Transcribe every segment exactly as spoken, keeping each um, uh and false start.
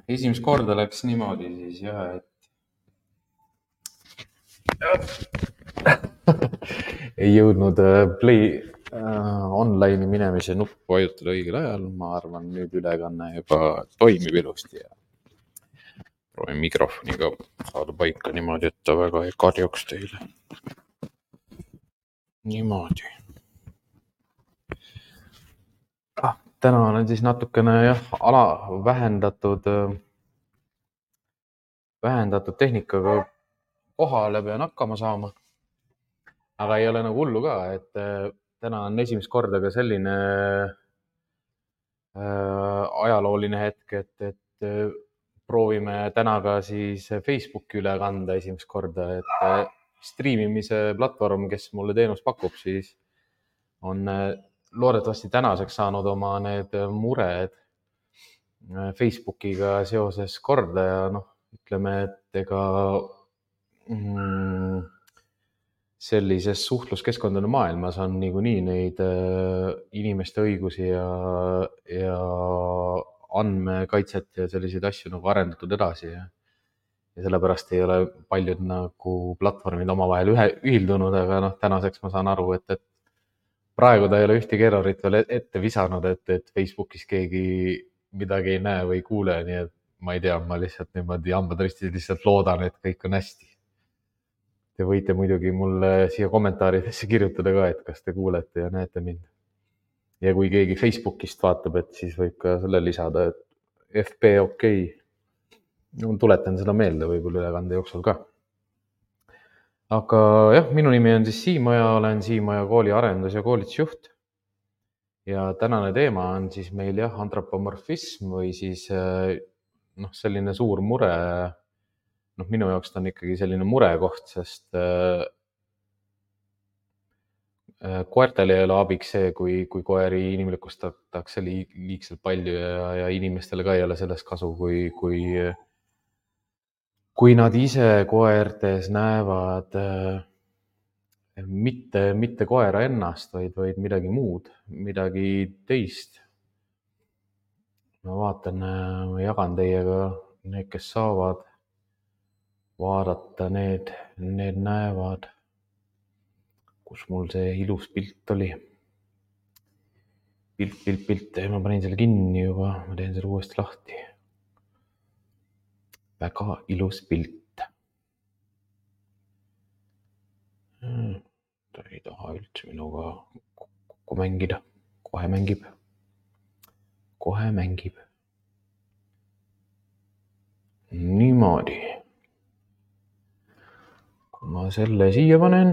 esimest korda läks niimoodi siis jah, et ei jõudnud play äh, online'i minemise nuppu vajutada õigel ajal. Ma arvan, nüüd ülekanne juba toimib ilusti ja proovin mikrofoniga saada paika niimoodi, et ta väga ei karjuks teile. Niimoodi. Ah, täna olen siis natukene jah, ala vähendatud, vähendatud tehnikaga kohale pean hakkama saama. Aga ei ole nagu hullu ka, et täna on esimest korda ka selline äh, ajalooline hetk, et, et proovime täna ka siis Facebooki üle kanda esimest korda, et striimimise platvorm, kes mulle teenust pakub, siis on loodetavasti tänaseks saanud oma need mured Facebookiga seoses korda ja noh, ütleme, et ega mm, sellises suhtluskeskkondade maailmas on niikuinii neid inimeste õigusi ja, ja andmekaitset ja selliseid asju nagu arendatud edasi. Ja, ja sellepärast ei ole paljud nagu platvormid omavahel ühe, ühildunud, aga noh, tänaseks ma saan aru, et, et praegu ta ei ole ühtegi errorit veel ette visanud, et, et Facebookis keegi midagi ei näe või ei kuule, nii et ma ei tea, ma lihtsalt niimoodi hambad ristis lihtsalt loodan, et kõik on hästi. Te võite muidugi mulle siia kommentaaridesse kirjutada ka, et kas te kuulete ja näete mind. Ja kui keegi Facebookist vaatab, et siis võib ka selle lisada, et F B okei. Okay. Tuletan seda meelde võib-olla ülekande jooksul ka. Aga jah, minu nimi on siis Siim Oja, olen Siim Oja kooli arendus- ja koolitusjuht. Ja tänane teema on siis meil jah, antropomorfism või siis noh, selline suur mure. Noh, minu jaoks ta on ikkagi selline murekoht, sest äh, koertele ei ole abiks see, kui, kui koeri inimlikustatakse liigselt palju ja, ja inimestele ka ei ole sellest kasu, kui, kui, kui nad ise koertes näevad äh, mitte, mitte koera ennast, vaid, vaid midagi muud, midagi teist. Ma vaatan, ma jagan teiega need, kes saavad vaadata, need, need näevad, kus mul see ilus pilt oli. Pilt, pilt, pilt, ma panin selle kinni juba, ma teen selle uuesti lahti. Väga ilus pilt. Ta ei taha üldse minuga kokku mängida. Kohe mängib. Kohe mängib. Niimoodi. Kui ma selle siia panen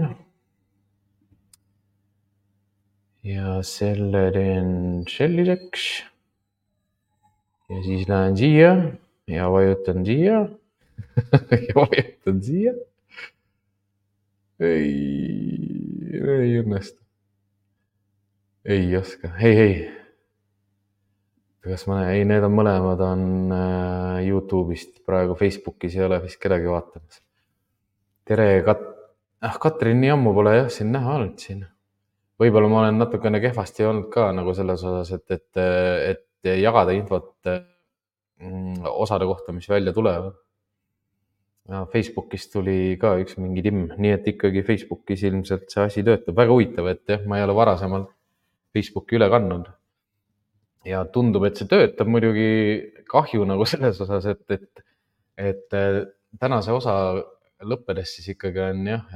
ja selle teen selliseks ja siis lähen siia ja vajutan siia ja vajutan siia. Ei, ei õnnestu. Ei oska. Hei, hei. Kas ma näen? Ei, need on mõlemad on YouTube'ist. Praegu Facebookis ei ole vist kedagi vaatamas. Tere, Kat... Ah, Katrin nii ammu pole jah siin näha olnud siin. Võib-olla ma olen natukene kehvasti olnud ka nagu selles osas, et, et, et jagada infot osade kohta, mis välja tulevad. Ja Facebookis tuli ka üks mingi timm, nii et ikkagi Facebookis ilmselt see asi töötab. Väga huvitav, et jah, ma ei ole varasemalt Facebooki üle kandnud. Ja tundub, et see töötab muidugi kahju nagu selles osas, et, et, et tänase osa lõppedes siis ikkagi on jah,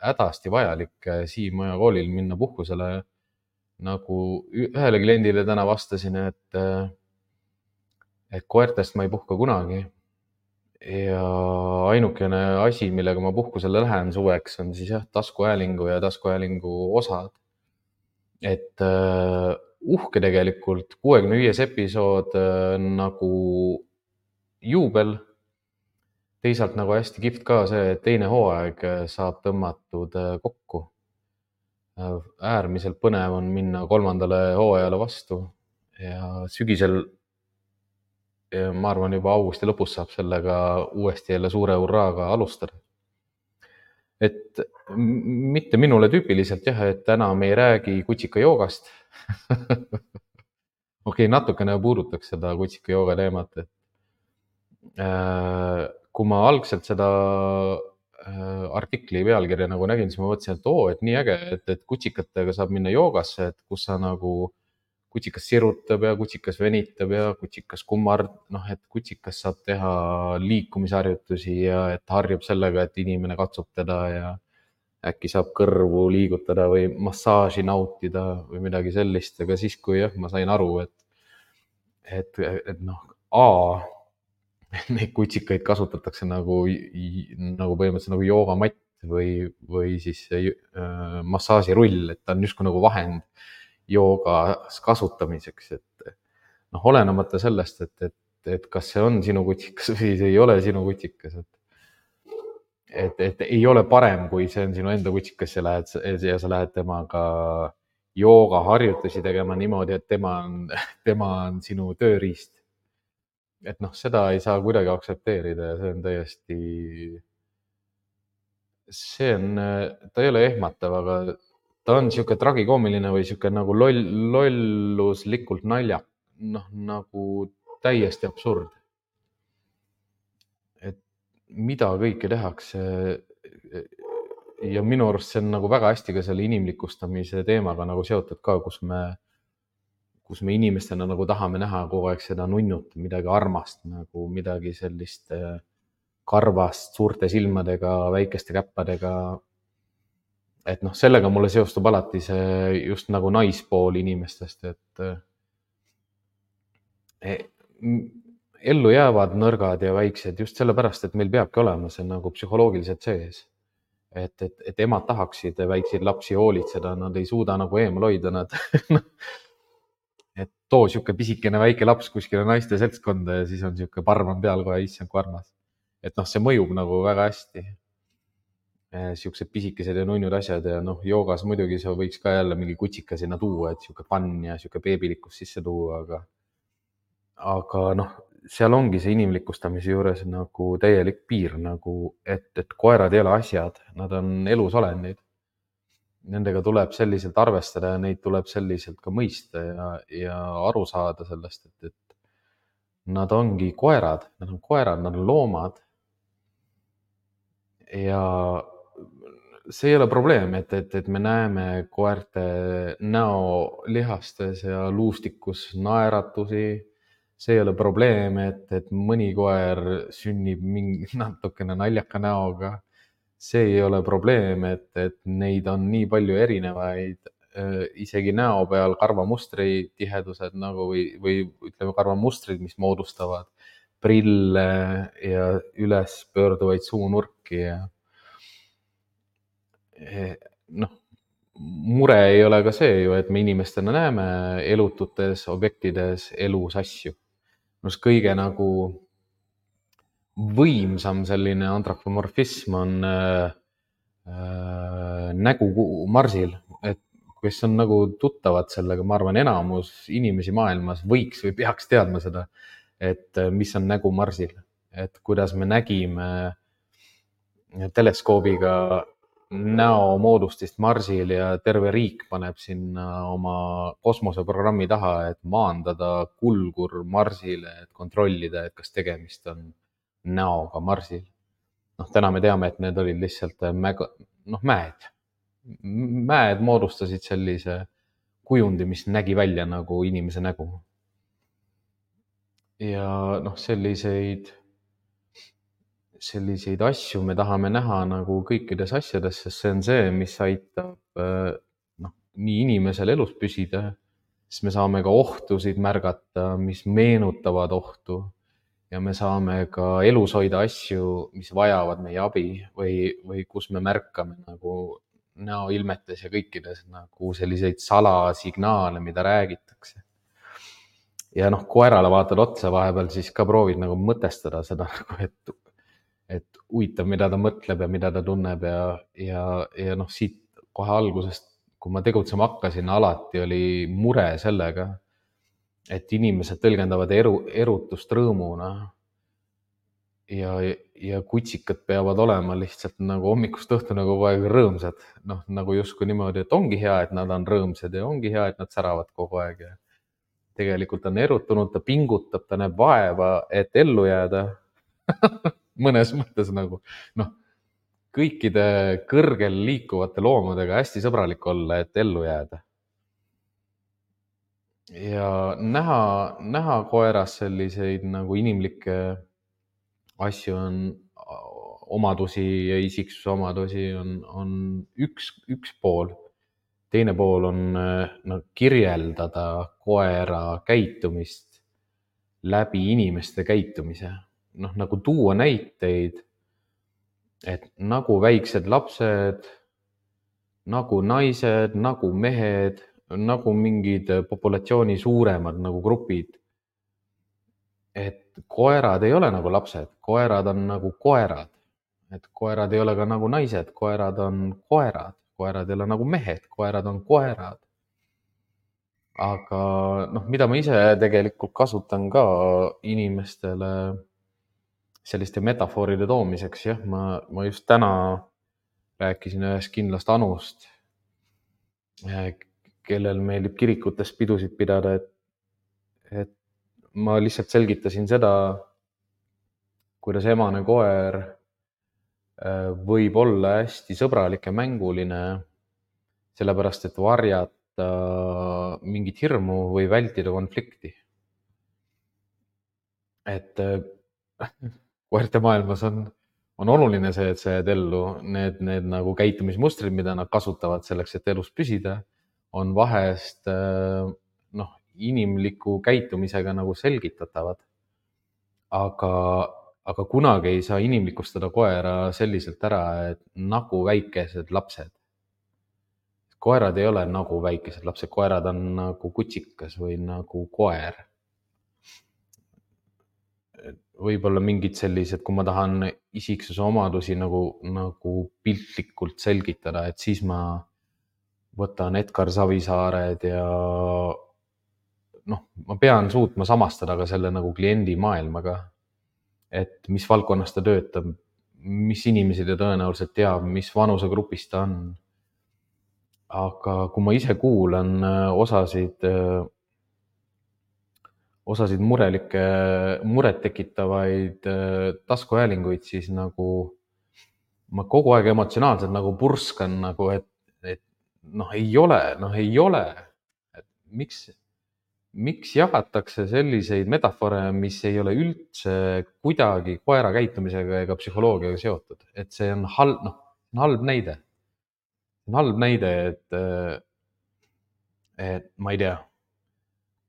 hädasti vajalik Siim Oja koolil minna puhkusele. Nagu ühele kliendile täna vastasin, et, et koertest ma ei puhka kunagi. Ja ainukene asi, millega ma puhkusele lähen suveks, on siis jah, taskuhäälingu ja taskuhäälingu osad. Et uh, uhke tegelikult kuuekümne viies episood uh, nagu juubel. Teisalt nagu hästi kihvt ka see, et teine hooaeg saab tõmmatud uh, kokku. Uh, äärmiselt põnev on minna kolmandale hooajale vastu ja sügisel ma arvan juba augusti lõpus saab sellega uuesti jälle suure hurraaga alustada. Et mitte minule tüüpiliselt jah, et täna me ei räägi kutsika joogast. Okei, natukene puudutaks seda kutsika jooga teemat, et kui ma algselt seda artikli pealkirja nagu nägin, siis ma mõtlesin, et oo, et nii äge, et, et kutsikatega saab minna joogasse, et kus sa nagu kutsikas sirutab ja kutsikas venitab ja kutsikas kummard, noh, et kutsikas saab teha liikumisharjutusi ja et harjub sellega, et inimene katsub teda ja äkki saab kõrvu liigutada või massaaži nautida või midagi sellist, aga siis, kui jah, ma sain aru, et, et, et noh, A, neid kutsikaid kasutatakse nagu, nagu põhimõtteliselt nagu joogamatt või, või siis äh, massaažirull, et ta on justkui nagu vahend joogas kasutamiseks, et noh, olenemata sellest, et, et, et kas see on sinu kutsikas või see ei ole sinu kutsikas, et, et, et ei ole parem, kui see on sinu enda kutsikas ja lähed ja sa lähed temaga joogaharjutusi tegema niimoodi, et tema on, tema on sinu tööriist. Et noh, seda ei saa kuidagi aktsepteerida ja see on täiesti, see on, ta ei ole ehmatav, aga ta on sihuke tragikoomiline või sihuke nagu loll, lolluslikult naljak, noh nagu täiesti absurd. Et mida kõike tehakse. Ja minu arust see on nagu väga hästi ka selle inimlikustamise teemaga nagu seotud ka, kus me kus me inimestena nagu tahame näha kogu aeg seda nunnut, midagi armast, nagu midagi sellist karvast, suurte silmadega, väikeste käppadega. Et noh, sellega mulle seostub alati see just nagu naispool inimestest, et ellu jäävad nõrgad ja väiksed just sellepärast, et meil peabki olema see nagu psühholoogiliselt sees. Et, et, et emad tahaksid väikseid lapsi hoolitseda, nad ei suuda nagu eemal hoida, nad et too sihuke pisikene väike laps kuskile naiste seltskonda ja siis on sihuke parm on peal kohe, issand kui armas. Et noh, see mõjub nagu väga hästi. Siuksed pisikesed ja nunnud asjad ja noh, joogas muidugi see võiks ka jälle mingi kutsika sinna tuua, et sihuke pann ja sihuke beebilikkus sisse tuua, aga aga noh, seal ongi see inimlikustamise juures nagu täielik piir nagu, et, et koerad ei ole asjad, nad on elusolendid. Nendega tuleb selliselt arvestada ja neid tuleb selliselt ka mõista ja, ja aru saada sellest, et, et nad ongi koerad, nad on koerad, nad on loomad. Ja see ei ole probleem, et, et, et me näeme koerte näolihastes ja luustikus naeratusi. See ei ole probleem, et, et mõni koer sünnib mingi natukene naljaka näoga. See ei ole probleem, et, et neid on nii palju erinevaid, isegi näo peal karvamustri tihedused nagu või, või ütleme karvamustrid, mis moodustavad prille ja üles pöörduvaid suunurki ja noh, mure ei ole ka see ju, et me inimestena näeme elututes objektides elus asju. Nus kõige nagu võimsam selline antropomorfism on äh, äh, nägu marsil, et kes on nagu tuttavad sellega, ma arvan, enamus inimesi maailmas võiks või peaks teadma seda, et mis on nägu marsil, et kuidas me nägime teleskoobiga näomoodustist marsil ja terve riik paneb sinna oma kosmoseprogrammi taha, et maandada kulgur marsile, et kontrollida, et kas tegemist on näoga marsil. Noh, täna me teame, et need olid lihtsalt mäga, noh, mäed. Mäed moodustasid sellise kujundi, mis nägi välja nagu inimese nägu. Ja noh, selliseid, selliseid asju me tahame näha nagu kõikides asjades, sest see on see, mis aitab noh, nii inimesel elus püsida, siis me saame ka ohtusid märgata, mis meenutavad ohtu. Ja me saame ka elus hoida asju, mis vajavad meie abi või, või kus me märkame nagu näoilmetes ja kõikides nagu selliseid salasignaale, mida räägitakse. Ja noh, koerale vaatad otsa vahepeal, siis ka proovid nagu mõtestada seda, et, et huvitav, mida ta mõtleb ja mida ta tunneb ja, ja, ja noh, siit kohe algusest, kui ma tegutsema hakkasin, alati oli mure sellega, et inimesed tõlgendavad eru, erutust rõõmuna ja, ja kutsikad peavad olema lihtsalt nagu hommikust õhtuni kogu aeg rõõmsad. Noh, nagu justkui niimoodi, et ongi hea, et nad on rõõmsad ja ongi hea, et nad säravad kogu aeg. Ja tegelikult on erutunud, ta pingutab, ta näeb vaeva, et ellu jääda. mõnes mõttes nagu, noh, kõikide kõrgel liikuvate loomadega hästi sõbralik olla, et ellu jääda. Ja näha, näha koeras selliseid nagu inimlikke asju on, omadusi ja isiksuse omadusi on, on üks, üks pool. Teine pool on no, kirjeldada koera käitumist läbi inimeste käitumise. Noh, nagu tuua näiteid, et nagu väiksed lapsed, nagu naised, nagu mehed, nagu mingid populatsiooni suuremad nagu grupid. Et koerad ei ole nagu lapsed, koerad on nagu koerad. Et koerad ei ole ka nagu naised, koerad on koerad, koerad ei ole nagu mehed, koerad on koerad. Aga noh, mida ma ise tegelikult kasutan ka inimestele selliste metafooride toomiseks, jah, ma, ma just täna rääkisin ühest kindlast Anust, kellel meeldib kirikutes pidusid pidada, et, et ma lihtsalt selgitasin seda, kuidas emane koer võib olla hästi sõbralik ja mänguline, sellepärast et varjata mingit hirmu või vältida konflikti. Et koerte maailmas on, on oluline see, et sa jääd ellu. Need, need nagu käitumismustrid, mida nad kasutavad selleks, et elus püsida, on vahest noh, inimliku käitumisega nagu selgitatavad. Aga, aga kunagi ei saa inimlikustada koera selliselt ära, et nagu väikesed lapsed. Koerad ei ole nagu väikesed lapsed, koerad on nagu kutsikas või nagu koer. Võib-olla mingid sellised, kui ma tahan isiksuse omadusi nagu, nagu piltlikult selgitada, et siis ma võtan Edgar Savisaared ja noh, ma pean suutma samastada ka selle nagu kliendi maailmaga, et mis valdkonnas ta töötab, mis inimesi ta tõenäoliselt teab, mis vanusegrupis ta on. Aga kui ma ise kuulan osasid osasid murelikke, muret tekitavaid taskuhäälinguid, siis nagu ma kogu aeg emotsionaalselt nagu purskan, nagu, et, et noh, ei ole, noh, ei ole. Et miks, miks jagatakse selliseid metafore, mis ei ole üldse kuidagi koera käitumisega ega psühholoogiaga seotud, et see on halb, noh, halb näide. Halb näide, et, et ma ei tea,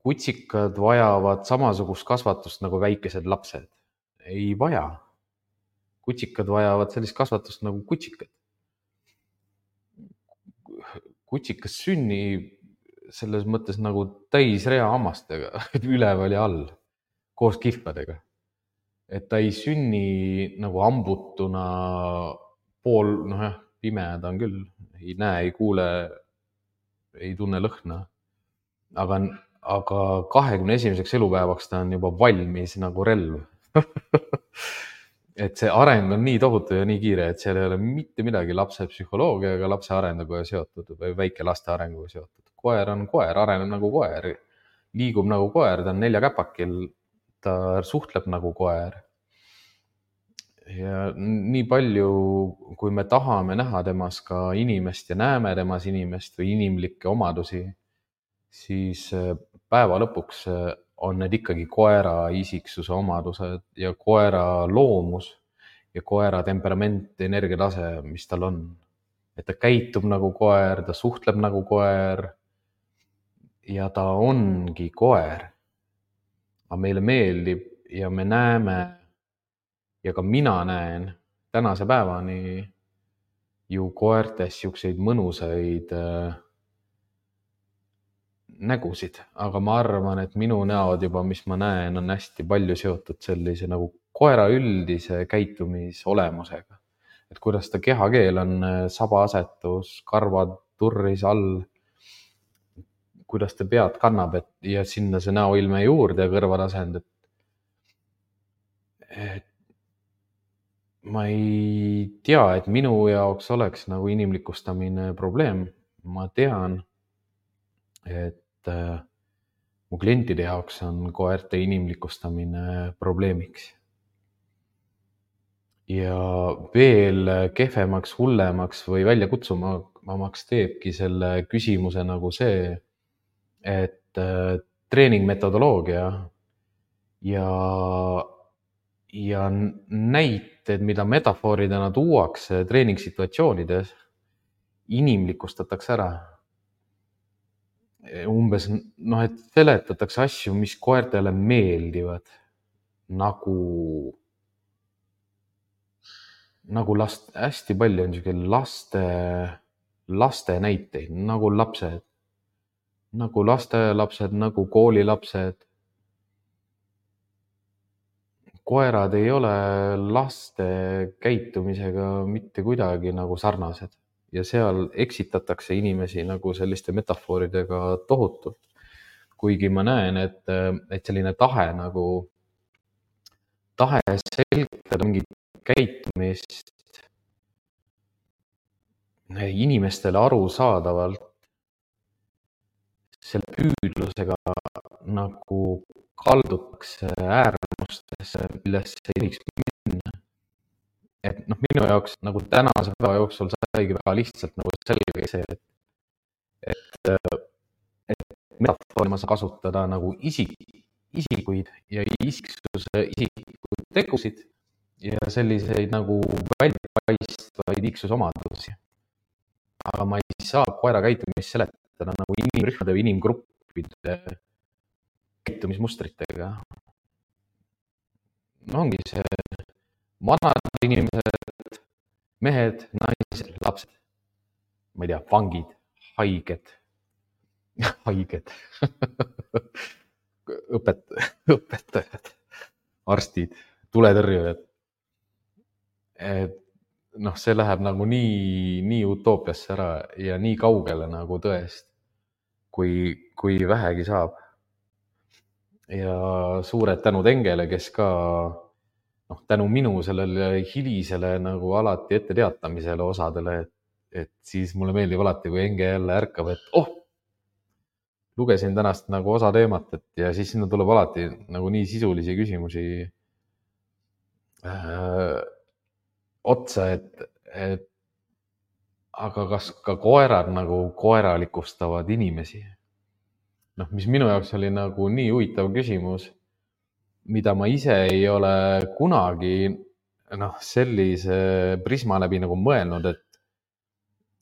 kutsikad vajavad samasugust kasvatust nagu väikesed lapsed. Ei vaja. Kutsikad vajavad sellist kasvatust nagu kutsikad. Kutsikas sünnib selles mõttes nagu täisrea hammastega, üleval ja all, koos kihvadega. Et ta ei sünni nagu ambutuna pool, noh jah, pime ta on küll, ei näe, ei kuule, ei tunne lõhna. Aga aga kahekümne esimeseks elupäevaks ta on juba valmis nagu relv. Et see areng on nii tohutu ja nii kiire, et seal ei ole mitte midagi lapse psühholoogiaga, lapse arenguga seotud või väike laste arenguga seotud. Koer on koer, areneb nagu koer, liigub nagu koer, ta on neljakäpakil, ta suhtleb nagu koer. Ja nii palju, kui me tahame näha temas ka inimest ja näeme temas inimest või inimlikke omadusi, siis päeva lõpuks on need ikkagi koera isiksuse omadused ja koera loomus ja koera temperament, energiatase, mis tal on. Et ta käitub nagu koer, ta suhtleb nagu koer ja ta ongi koer. Aga meile meeldib ja me näeme ja ka mina näen tänase päevani ju koertes siukseid mõnusaid nägusid, aga ma arvan, et minu näod juba, mis ma näen, on hästi palju seotud sellise nagu koera üldise käitumisolemusega. Et kuidas ta kehakeel on sabaasetus, karvad turris all, kuidas ta pead kannab, et ja sinna see näoilme juurde ja kõrvatasend, et, et ma ei tea, et minu jaoks oleks nagu inimlikustamine probleem. Ma tean, et mu klientide jaoks on koerte inimlikustamine probleemiks. ja veel kehvemaks, hullemaks või välja kutsumamaks teebki selle küsimuse nagu see, et äh, treeningmetodoloogia ja, ja näited, mida metafooridena tuuakse treeningsituatsioonides, inimlikustatakse ära. Umbes noh, et seletatakse asju, mis koertele meeldivad, nagu, nagu last, hästi palju on niisugune laste, laste näiteid, nagu lapsed, nagu lasteaialapsed, nagu koolilapsed. Koerad ei ole laste käitumisega mitte kuidagi nagu sarnased ja seal eksitatakse inimesi nagu selliste metafooridega tohutult. Kuigi ma näen, et, et selline tahe nagu, tahe selgitada mingit käitumist inimestele arusaadavalt selle püüdlusega nagu kaldutakse äärmustesse, millesse ei tohiks minna. Et noh, minu jaoks nagu tänase päeva jooksul saigi väga lihtsalt nagu selge see, et, et, et metafoori ma saan kasutada nagu isik, isikuid ja isiksuse isikuid tegusid ja selliseid nagu väljapaistvaid iiksusomadusi. Aga ma ei saa koera käitumist seletada nagu inimrühmade või inimgruppide käitumismustritega. No ongi see vanad inimesed, mehed, naised, lapsed, ma ei tea, vangid, haiged, haiged, õpet, õpetajad, arstid, tuletõrjujad. Et noh, see läheb nagu nii, nii utoopiasse ära ja nii kaugele nagu tõest, kui, kui vähegi saab. Ja suured tänud Engele, kes ka noh, tänu minu sellele hilisele nagu alati ette teatamisele osadele, et, et siis mulle meeldib alati, kui Enge jälle ärkab, et oh, lugesin tänast nagu osa teemat, et ja siis sinna tuleb alati nagu nii sisulisi küsimusi äh, otsa, et, et aga kas ka koerad nagu koeralikustavad inimesi? Noh, mis minu jaoks oli nagu nii huvitav küsimus, mida ma ise ei ole kunagi noh, sellise prisma läbi nagu mõelnud, et,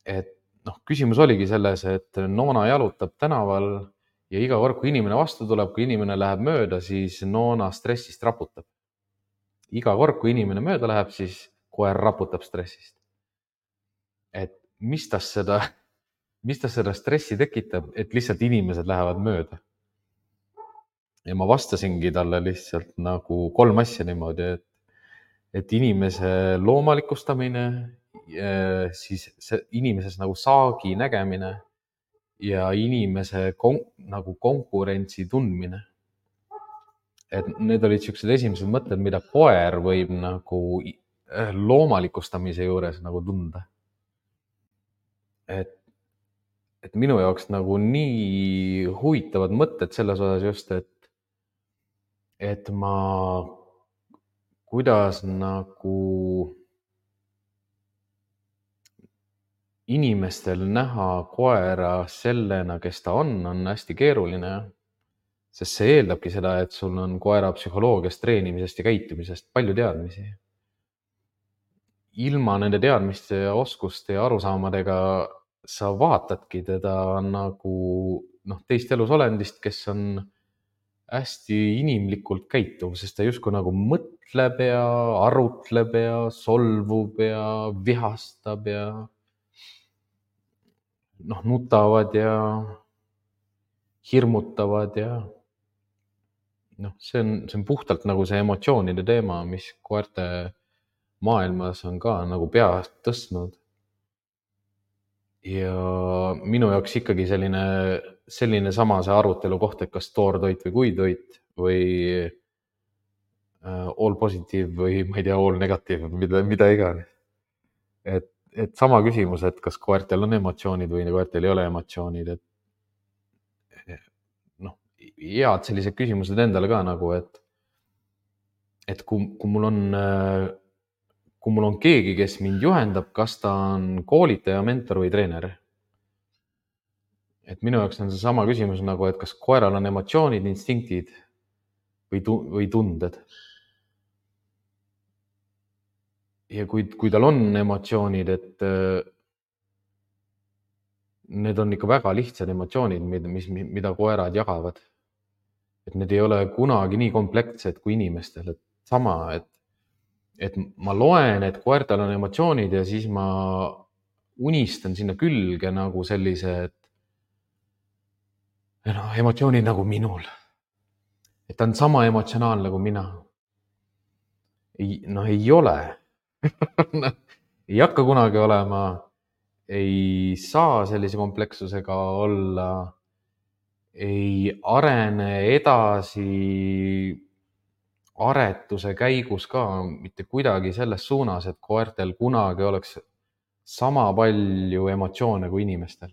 et noh, küsimus oligi selles, et Noona jalutab tänaval ja iga kord, kui inimene vastu tuleb, kui inimene läheb mööda, siis Noona stressist raputab. Iga kord, kui inimene mööda läheb, siis koer raputab stressist. Et mis tas seda, mis tas seda stressi tekitab, et lihtsalt inimesed lähevad mööda. Ja ma vastasingi talle lihtsalt nagu kolm asja niimoodi, et, et inimese loomalikustamine, siis see inimeses nagu saagi nägemine ja inimese kon, nagu konkurentsi tundmine. Et need olid siuksed esimesed mõtted, mida koer võib nagu loomalikustamise juures nagu tunda. Et, et minu jaoks nagu nii huvitavad mõtted selles osas just, et, et ma, kuidas nagu inimestel näha koera sellena, kes ta on, on hästi keeruline. Sest see eeldabki seda, et sul on koera psühholoogiast, treenimisest ja käitumisest palju teadmisi. Ilma nende teadmiste ja oskuste ja arusaamadega sa vaatadki teda nagu noh, teist elusolendist, kes on hästi inimlikult käituv, sest ta justkui nagu mõtleb ja arutleb ja solvub ja vihastab ja noh, nutavad ja hirmutavad ja noh, see on, see on puhtalt nagu see emotsioonide teema, mis koerte maailmas on ka nagu peast tõstnud. Ja minu jaoks ikkagi selline, selline sama see arutelu koht, et kas toortoit või kuivtoit või all positive või ma ei tea, all negative, mida, mida iganes. Et, et sama küsimus, et kas koertel on emotsioonid või koertel ei ole emotsioonid, et noh, head sellised küsimused endale ka nagu, et, et kui, kui mul on kui mul on keegi, kes mind juhendab, kas ta on koolitaja, mentor või treener. Et minu jaoks on see sama küsimus nagu, et kas koeral on emotsioonid, instinktid või, tu või tunded. Ja kui, kui tal on emotsioonid, et need on ikka väga lihtsad emotsioonid, mis, mida koerad jagavad. Et need ei ole kunagi nii komplektsed kui inimestel. Et sama, et, et ma loen, et koertal on emotsioonid ja siis ma unistan sinna külge nagu sellise, et no, emotsioonid nagu minul. Et ta on sama emotsionaalne nagu mina. Ei, no ei ole. ei hakka kunagi olema. Ei saa sellise komplekssusega olla. Ei arene edasi aretuse käigus ka mitte kuidagi selles suunas, et koertel kunagi oleks sama palju emotsioone kui inimestel.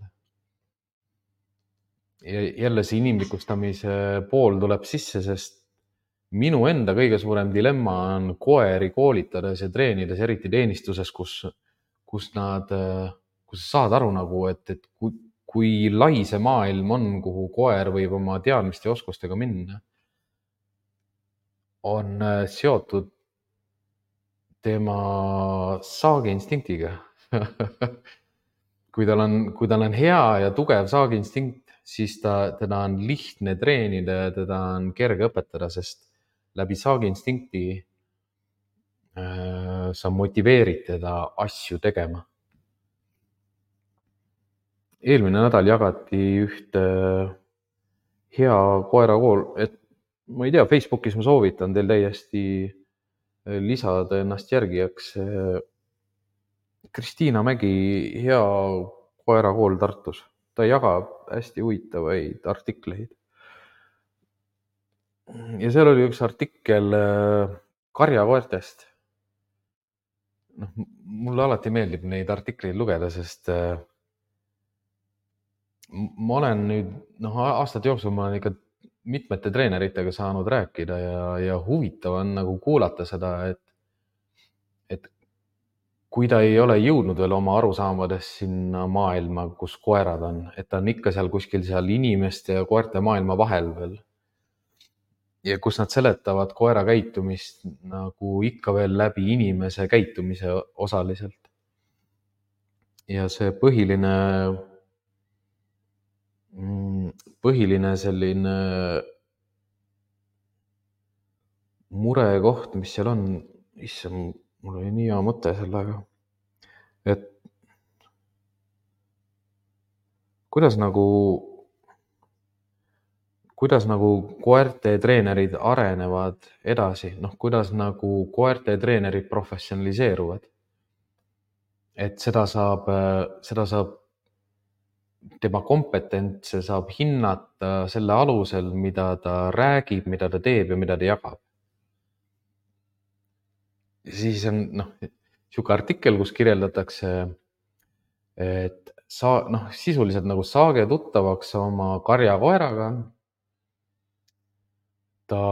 Ja jälle see inimlikustamise pool tuleb sisse, sest minu enda kõige suurem dilemma on koeri koolitades ja treenides, eriti teenistuses, kus, kus nad, kus sa saad aru nagu, et, et kui, kui lai see maailm on, kuhu koer võib oma teadmiste ja oskustega minna, on seotud tema saagiinstinktiga. kui tal on, kui tal on hea ja tugev saagiinstinkt, siis ta, teda on lihtne treenida ja teda on kerge õpetada, sest läbi saagiinstinkti äh, sa motiveerid teda asju tegema. Eelmine nädal jagati ühte hea koerakool, et ma ei tea, Facebookis ma soovitan teil täiesti lisada ennast järgijaks. Kristiina Mägi, hea koerakool Tartus. Ta jagab hästi huvitavaid artikleid. Ja seal oli üks artikkel karjakoertest. No, mulle alati meeldib neid artikleid lugeda, sest ma olen nüüd, noh, aastate jooksul ma olen ikka mitmete treeneritega saanud rääkida ja, ja huvitav on nagu kuulata seda, et, et kui ta ei ole jõudnud veel oma arusaamades sinna maailma, kus koerad on, et ta on ikka seal kuskil seal inimeste ja koerte maailma vahel veel. Ja kus nad seletavad koera käitumist nagu ikka veel läbi inimese käitumise osaliselt. Ja see põhiline, põhiline selline murekoht, mis seal on, issand, mul oli nii hea mõte sellega, et kuidas nagu, kuidas nagu koerte treenerid arenevad edasi, noh, kuidas nagu koerte treenerid professionaliseeruvad. Et seda saab, seda saab, tema kompetentse saab hinnata selle alusel, mida ta räägib, mida ta teeb ja mida ta jagab. Siis on, noh, siuke artikkel, kus kirjeldatakse, et sa, noh, sisuliselt nagu saage tuttavaks oma karjakoeraga. Ta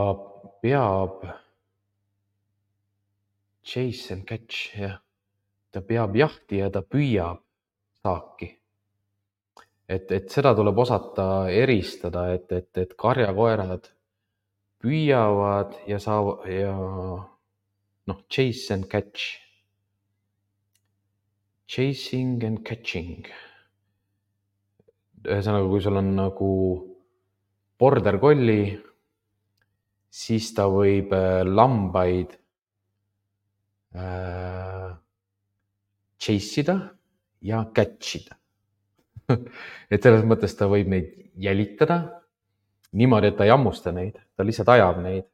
peab chase and catch, jah. Ta peab jahti ja ta püüab saaki. Et, et seda tuleb osata eristada, et, et, et karjakoerad püüavad ja saavad ja noh, chase and catch. Chasing and catching. Ühesõnaga, kui sul on nagu border collie, siis ta võib lambaid äh, chase ida ja catch ida. Et selles mõttes ta võib neid jälitada niimoodi, et ta ei hammusta neid, ta lihtsalt ajab neid,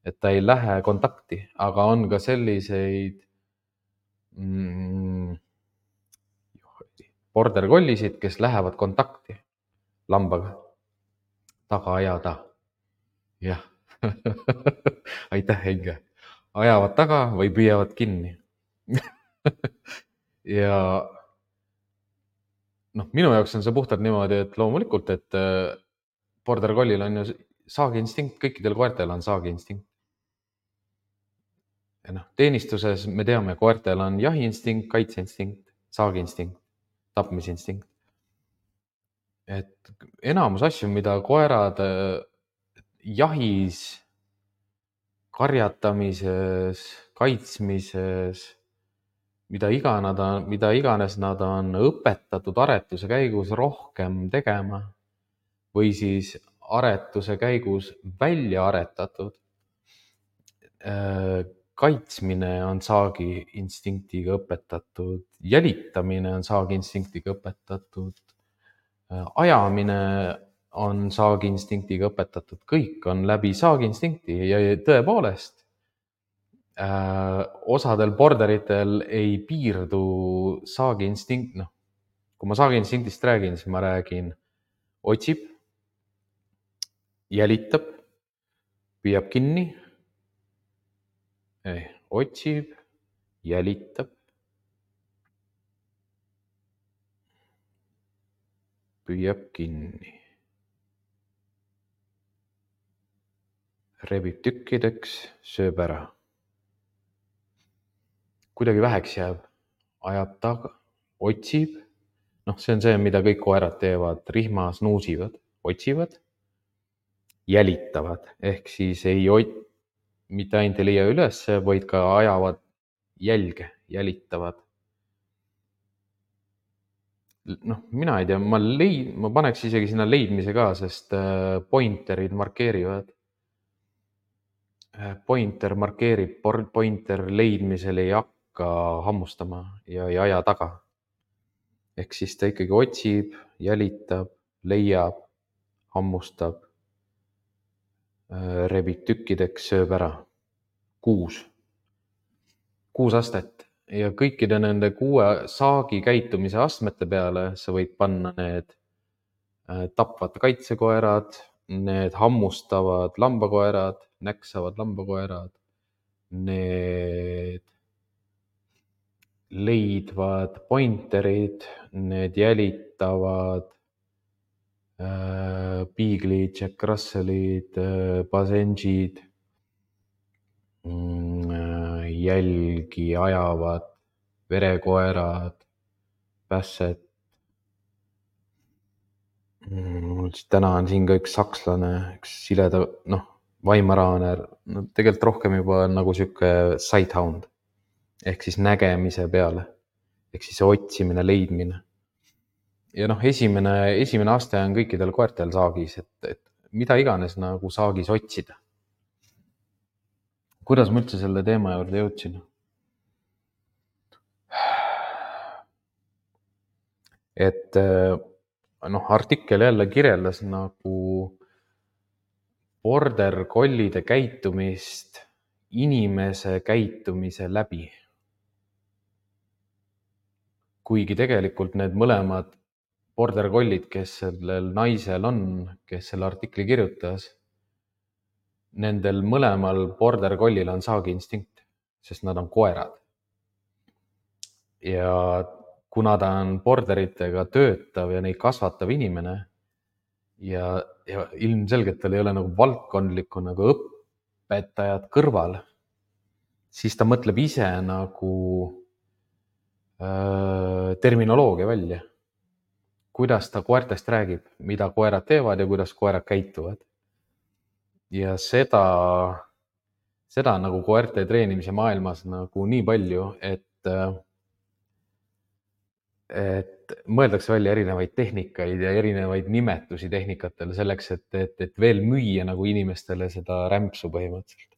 et ta ei lähe kontakti, aga on ka selliseid mm, border collisid, kes lähevad kontakti lambaga, taga ajada. Jah, aitäh, Inge. Ajavad taga või püüavad kinni. ja noh, minu jaoks on see puhtalt niimoodi, et loomulikult, et border collil on ju saagiinstinkt, kõikidel koertel on saagiinstinkt. noh, teenistuses me teame, koertel on jahiinstinkt, kaitseinstinkt, saagiinstinkt, tapmisinstinkt. Et enamus asju, mida koerad jahis, karjatamises, kaitsmises, mida iga nad on, mida iganes nad on õpetatud aretuse käigus rohkem tegema või siis aretuse käigus välja aretatud, kaitsmine on saagi instinktiga õpetatud, jälitamine on saagi instinktiga õpetatud, ajamine on saagi instinktiga õpetatud, kõik on läbi saagi instinkti ja tõepoolest äh, osadel borderitel ei piirdu saagi instinkt, noh, kui ma saagi instinktist räägin, siis ma räägin otsib, jälitab, püüab kinni, ei, otsib, jälitab, püüab kinni, rebib tükkideks, sööb ära. Kuidagi väheks jääb, ajab taga, otsib, noh, see on see, mida kõik koerad teevad, rihmas nuusivad, otsivad, jälitavad, ehk siis ei ot-, mitte ainult ei leia üles, vaid ka ajavad jälge, jälitavad. Noh, mina ei tea, ma leid-, ma paneks isegi sinna leidmise ka, sest pointerid markeerivad. Pointer markeerib, pointer leidmisel ei hakka hammustama ja ei aja taga. Ehk siis ta ikkagi otsib, jälitab, leiab, hammustab, rebib tükkideks, sööb ära. Kuus. Kuus astet. Ja kõikide nende kuue saagi käitumise astmete peale sa võid panna need tapvad kaitsekoerad, need hammustavad lambakoerad, näksavad lambakoerad, need leidvad pointerid, need jälitavad äh, piiglid, Jack Russellid, äh, Basenjid, mm, jälgi ajavad verekoerad, Basset. Mm, täna on siin ka üks sakslane, üks sileda, noh, Weimaraner, no tegelikult rohkem juba nagu siuke sighthound ehk siis nägemise peale, ehk siis otsimine, leidmine. Ja noh, esimene, esimene aste on kõikidel koertel saagis, et, et mida iganes nagu saagis otsida. Kuidas ma üldse selle teema juurde jõudsin? Et noh, artikkel jälle kirjeldas nagu border collide käitumist inimese käitumise läbi. Kuigi tegelikult need mõlemad border collid, kes sellel naisel on, kes selle artikli kirjutas, nendel mõlemal border collil on saagi instinkt, sest nad on koerad. Ja kuna ta on borderitega töötav ja neid kasvatav inimene ja, ja ilmselgelt tal ei ole nagu valdkondlikku nagu õpetajad kõrval, siis ta mõtleb ise nagu äh, terminoloogia välja. Kuidas ta koertest räägib, mida koerad teevad ja kuidas koerad käituvad. Ja seda, seda nagu koerte treenimise maailmas nagu nii palju, et et mõeldakse välja erinevaid tehnikaid ja erinevaid nimetusi tehnikatele selleks, et, et, et veel müüa nagu inimestele seda rämpsu põhimõtteliselt.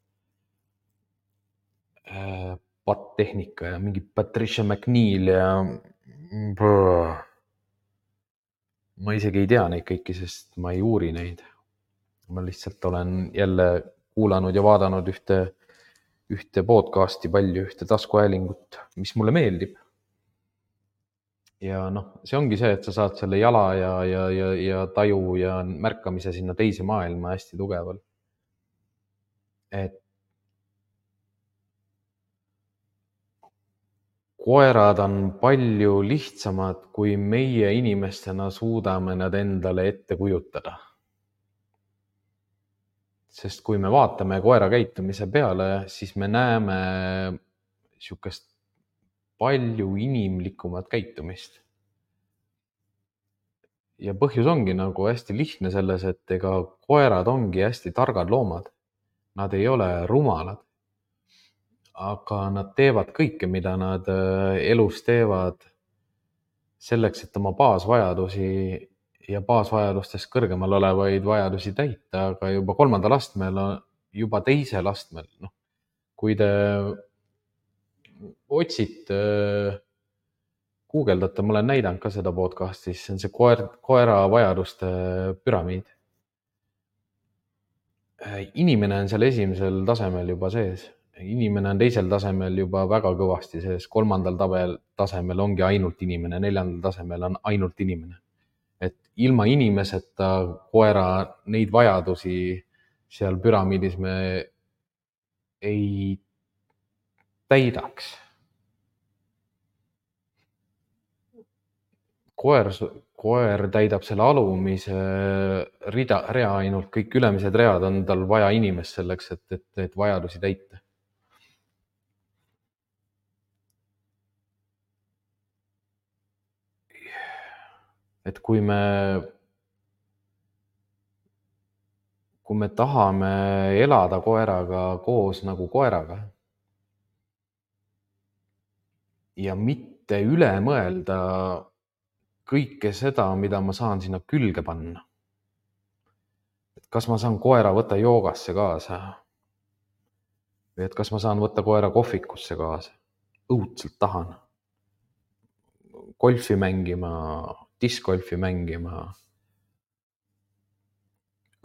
Patt-tehnika ja mingi Patricia McNeil ja brrr. Ma isegi ei tea neid kõiki, sest ma ei uuri neid. Ma lihtsalt olen jälle kuulanud ja vaadanud ühte, ühte podcasti palju, ühte taskuhäälingut, mis mulle meeldib. Ja noh, see ongi see, et sa saad selle jala ja, ja, ja, ja taju ja märkamise sinna teise maailma hästi tugeval. Et koerad on palju lihtsamad, kui meie inimestena suudame nad endale ette kujutada. Sest kui me vaatame koera käitumise peale, siis me näeme sihukest palju inimlikumat käitumist. Ja põhjus ongi nagu hästi lihtne selles, et ega koerad ongi hästi targad loomad. Nad ei ole rumalad, aga nad teevad kõike, mida nad elus teevad selleks, et oma baasvajadusi ja baasvajadustest kõrgemal olevaid vajadusi täita, aga juba kolmandal astmel, juba teisel astmel, noh, kui te otsite, guugeldate, ma olen näidanud ka seda podcasti, siis on see koer, koera vajaduste püramiid. Inimene on seal esimesel tasemel juba sees. Inimene on teisel tasemel juba väga kõvasti sees. Kolmandal tabel, tasemel ongi ainult inimene, neljandal tasemel on ainult inimene. Et ilma inimeseta koera neid vajadusi seal püramiidis me ei täidaks. Koer, koer täidab selle alumise rida, rea ainult, kõik ülemised read on tal vaja inimest selleks, et, et, et vajadusi täita. Et kui me, kui me tahame elada koeraga koos nagu koeraga ja mitte üle mõelda kõike seda, mida ma saan sinna külge panna. Et kas ma saan koera võtta joogasse kaasa? Või et kas ma saan võtta koera kohvikusse kaasa? Õudselt tahan. Golfi mängima, discgolfi mängima.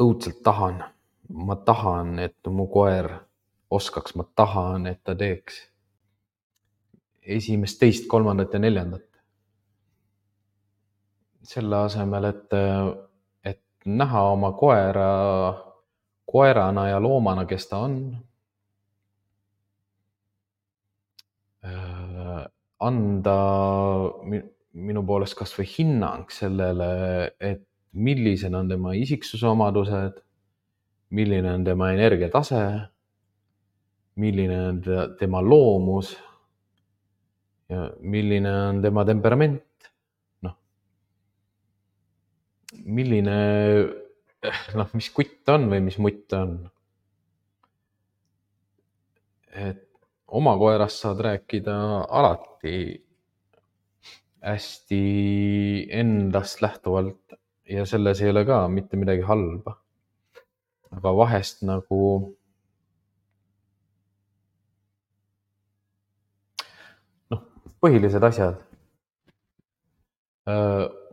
Õudselt tahan. Ma tahan, et mu koer oskaks, ma tahan, et ta teeks esimest, teist, kolmandat ja neljandat. Selle asemel, et, et näha oma koera koerana ja loomana, kes ta on. Anda minu poolest kas või hinnang sellele, et millised on tema isiksuse omadused, milline on tema energiatase, milline on tema loomus ja milline on tema temperament. Milline, noh, mis kutt on või mis mutt on. Et oma koerast saad rääkida alati hästi endast lähtuvalt ja selles ei ole ka mitte midagi halba. Aga vahest nagu noh, põhilised asjad.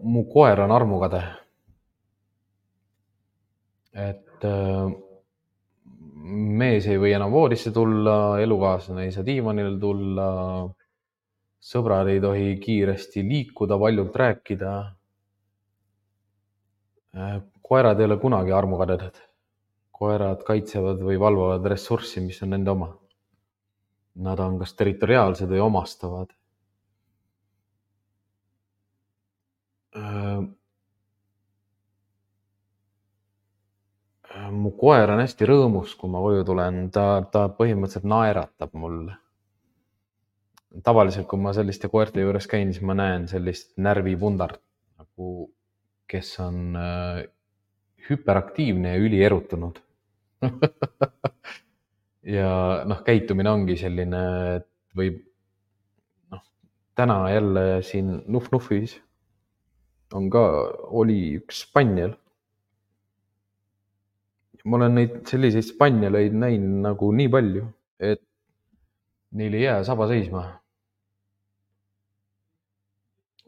Mu koer on armukade. Et mees ei või enam voodisse tulla, elukaaslane ei saa diivanile tulla, sõbrad ei tohi kiiresti liikuda, valjult rääkida. Koerad ei ole kunagi armukadedad. Koerad kaitsevad või valvavad ressurssi, mis on nende oma. Nad on kas territoriaalsed või omastavad. Mu koer on hästi rõõmus, kui ma koju tulen. Ta, ta põhimõtteliselt naeratab mulle. Tavaliselt, kui ma selliste koerte juures käin, siis ma näen sellist närvipundart, nagu, kes on äh, hüperaktiivne ja ülierutunud. Ja noh, käitumine ongi selline, et võib, noh, täna jälle siin Nuf-Nufis on ka, oli üks spanjel. Ma olen neid selliseid spanjaleid näinud nagu nii palju, et neil ei jää saba seisma.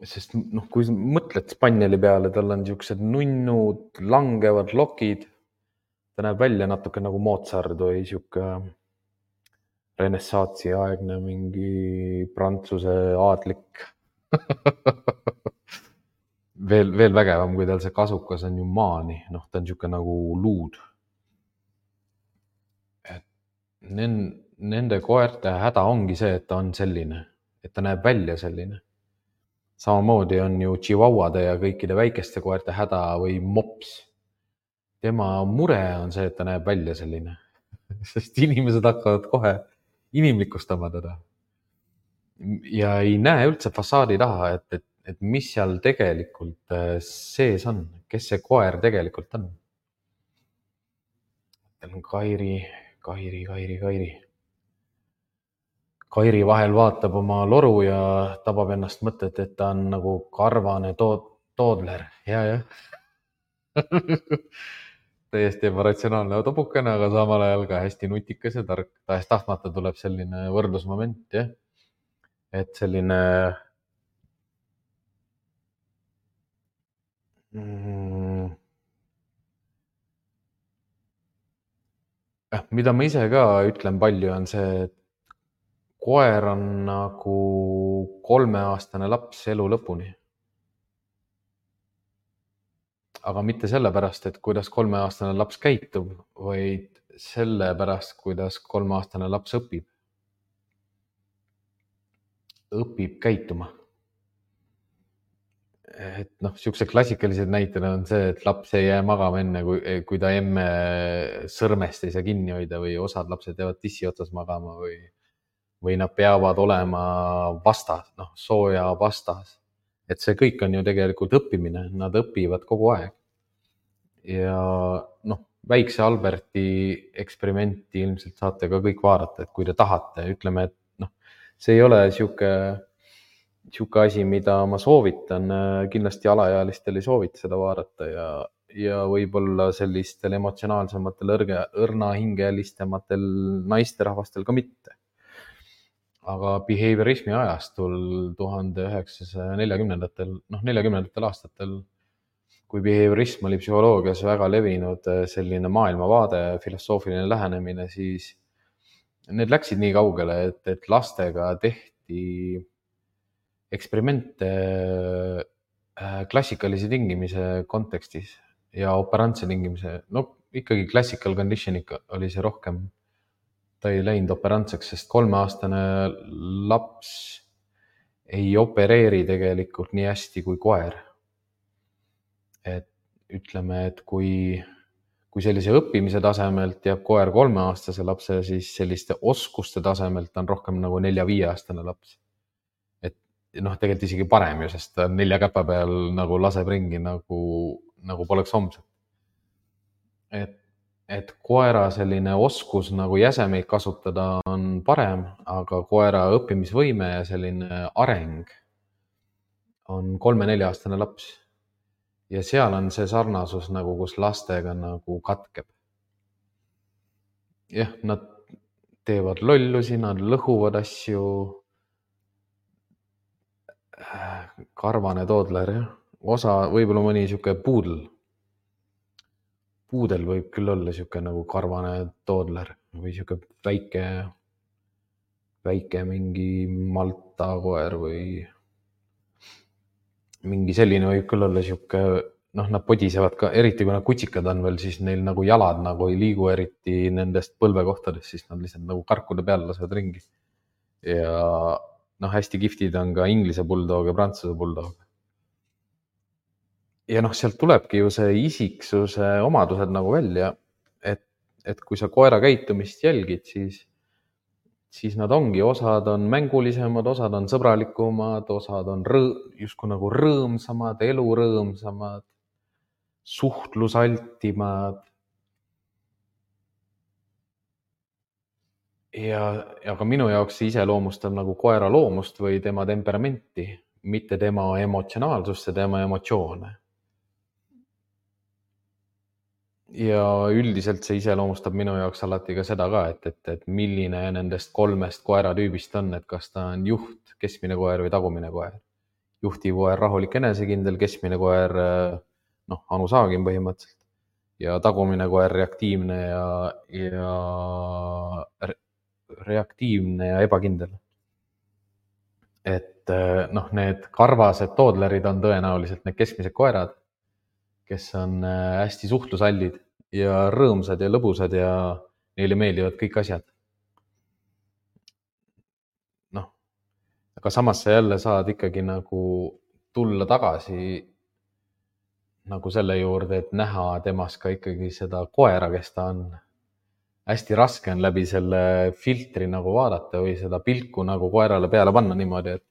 Sest noh, kui mõtled spanjali peale, tal on niisugused nunnud, langevad lokid. Ta näeb välja natuke nagu Mozart või niisugune renessaatsi aegne mingi prantsuse aadlik. veel, veel vägevam, kui tal see kasukas on ju maani. Noh, ta on niisugune nagu luud. Nende koerte häda ongi see, et ta on selline, et ta näeb välja selline. Samamoodi on ju chihuahuade ja kõikide väikeste koerte häda või mops. tema mure on see, et ta näeb välja selline, sest inimesed hakkavad kohe inimlikustama teda. Ja ei näe üldse fassaadi taha, et, et, et mis seal tegelikult sees on, kes see koer tegelikult on. Kairi, Kairi, Kairi, Kairi. Kairi vahel vaatab oma loru ja tabab ennast mõtet, et ta on nagu karvane tood, toodler. Ja, jah. Täiesti ebaratsionaalne tobukene, aga samal ajal ka hästi nutikas ja tark. Tahes tahtmata tuleb selline võrdlusmoment, jah. Et selline mm, mida ma ise ka ütlen palju, on see, et koer on nagu kolmeaastane laps elu lõpuni. Aga mitte sellepärast, et kuidas kolmeaastane laps käitub, vaid sellepärast, kuidas kolmeaastane laps õpib. Õpib käituma. Et noh, siukse klassikalised näited on see, et laps ei jää magama enne, kui, kui ta emme sõrmest ei saa kinni hoida või osad lapsed jäävad tissi otsas magama või, või nad peavad olema vastas, noh, sooja vastas. Et see kõik on ju tegelikult õppimine, nad õpivad kogu aeg. Ja noh, väikse Alberti eksperimenti ilmselt saate ka kõik vaadata, et kui te tahate, ütleme, et noh, see ei ole siuke, siuke asi, mida ma soovitan, kindlasti alaealistel ei soovita seda vaadata ja, ja võib-olla sellistel emotsionaalsematel õrge, õrnahingelisemaatel naisterahvastel ka mitte. Aga behaviorismi ajastul tuhande üheksasaja neljakümnendatel, noh neljakümnendatel aastatel, kui behaviorism oli psühholoogias väga levinud selline maailmavaade, filosoofiline lähenemine, siis need läksid nii kaugele, et, et lastega tehti eksperimente klassikalise tingimise kontekstis ja operantse tingimise, no ikkagi classical conditioning oli see rohkem. Ta ei läinud operantseks, sest kolmeaastane laps ei opereeri tegelikult nii hästi kui koer. Et ütleme, et kui, kui sellise õppimise tasemelt jääb koer kolmeaastase lapse, siis selliste oskuste tasemelt on rohkem nagu nelja-viieaastane laps. Et noh, tegelikult isegi parem ju, sest ta nelja käpa peal nagu laseb ringi nagu, nagu poleks homset. Et et koera selline oskus nagu jäsemeid kasutada on parem, aga koera õppimisvõime ja selline areng on kolme-nelja-aastane laps. Ja seal on see sarnasus nagu, kus lastega nagu katkeb. Jah, nad teevad lollusi, nad lõhuvad asju. Karvane toodler, jah. Osa, võib-olla mõni siuke puudel. Puudel võib küll olla siuke nagu karvane toodler või siuke väike, väike mingi Malta koer või mingi selline võib küll olla siuke, noh, nad podisevad ka, eriti kui nad kutsikad on veel, siis neil nagu jalad nagu ei liigu eriti nendest põlvekohtadest, siis nad lihtsalt nagu karkude peal lasevad ringi. Ja noh, hästi giftid on ka Inglise bulldog ja Prantsuse bulldog. Ja noh, sealt tulebki ju see isiksuse omadused nagu välja, et, et kui sa koera käitumist jälgid, siis, siis nad ongi, osad on mängulisemad, osad on sõbralikumad, osad on rõõ, justkui nagu rõõmsamad, elurõõmsamad, suhtlusaltimad. Ja, ja ka minu jaoks see iseloomustab nagu koera loomust või tema temperamenti, mitte tema emotsionaalsust ja tema emotsioone. Ja üldiselt see iseloomustab minu jaoks alati ka seda ka, et, et, et milline nendest kolmest koeratüübist on, et kas ta on juht, keskmine koer või tagumine koer. Juhtiv koer, rahulik, enesekindel, keskmine koer, noh, Anu Saagim põhimõtteliselt ja tagumine koer reaktiivne ja, ja reaktiivne ja ebakindel. Et noh, need karvased toodlerid on tõenäoliselt need keskmised koerad, kes on hästi suhtlusallid ja rõõmsad ja lõbusad ja neile meeldivad kõik asjad. Noh, aga samas sa jälle saad ikkagi nagu tulla tagasi nagu selle juurde, et näha temas ka ikkagi seda koera, kes ta on. Hästi raske on läbi selle filtri nagu vaadata või seda pilku nagu koerale peale panna niimoodi, et,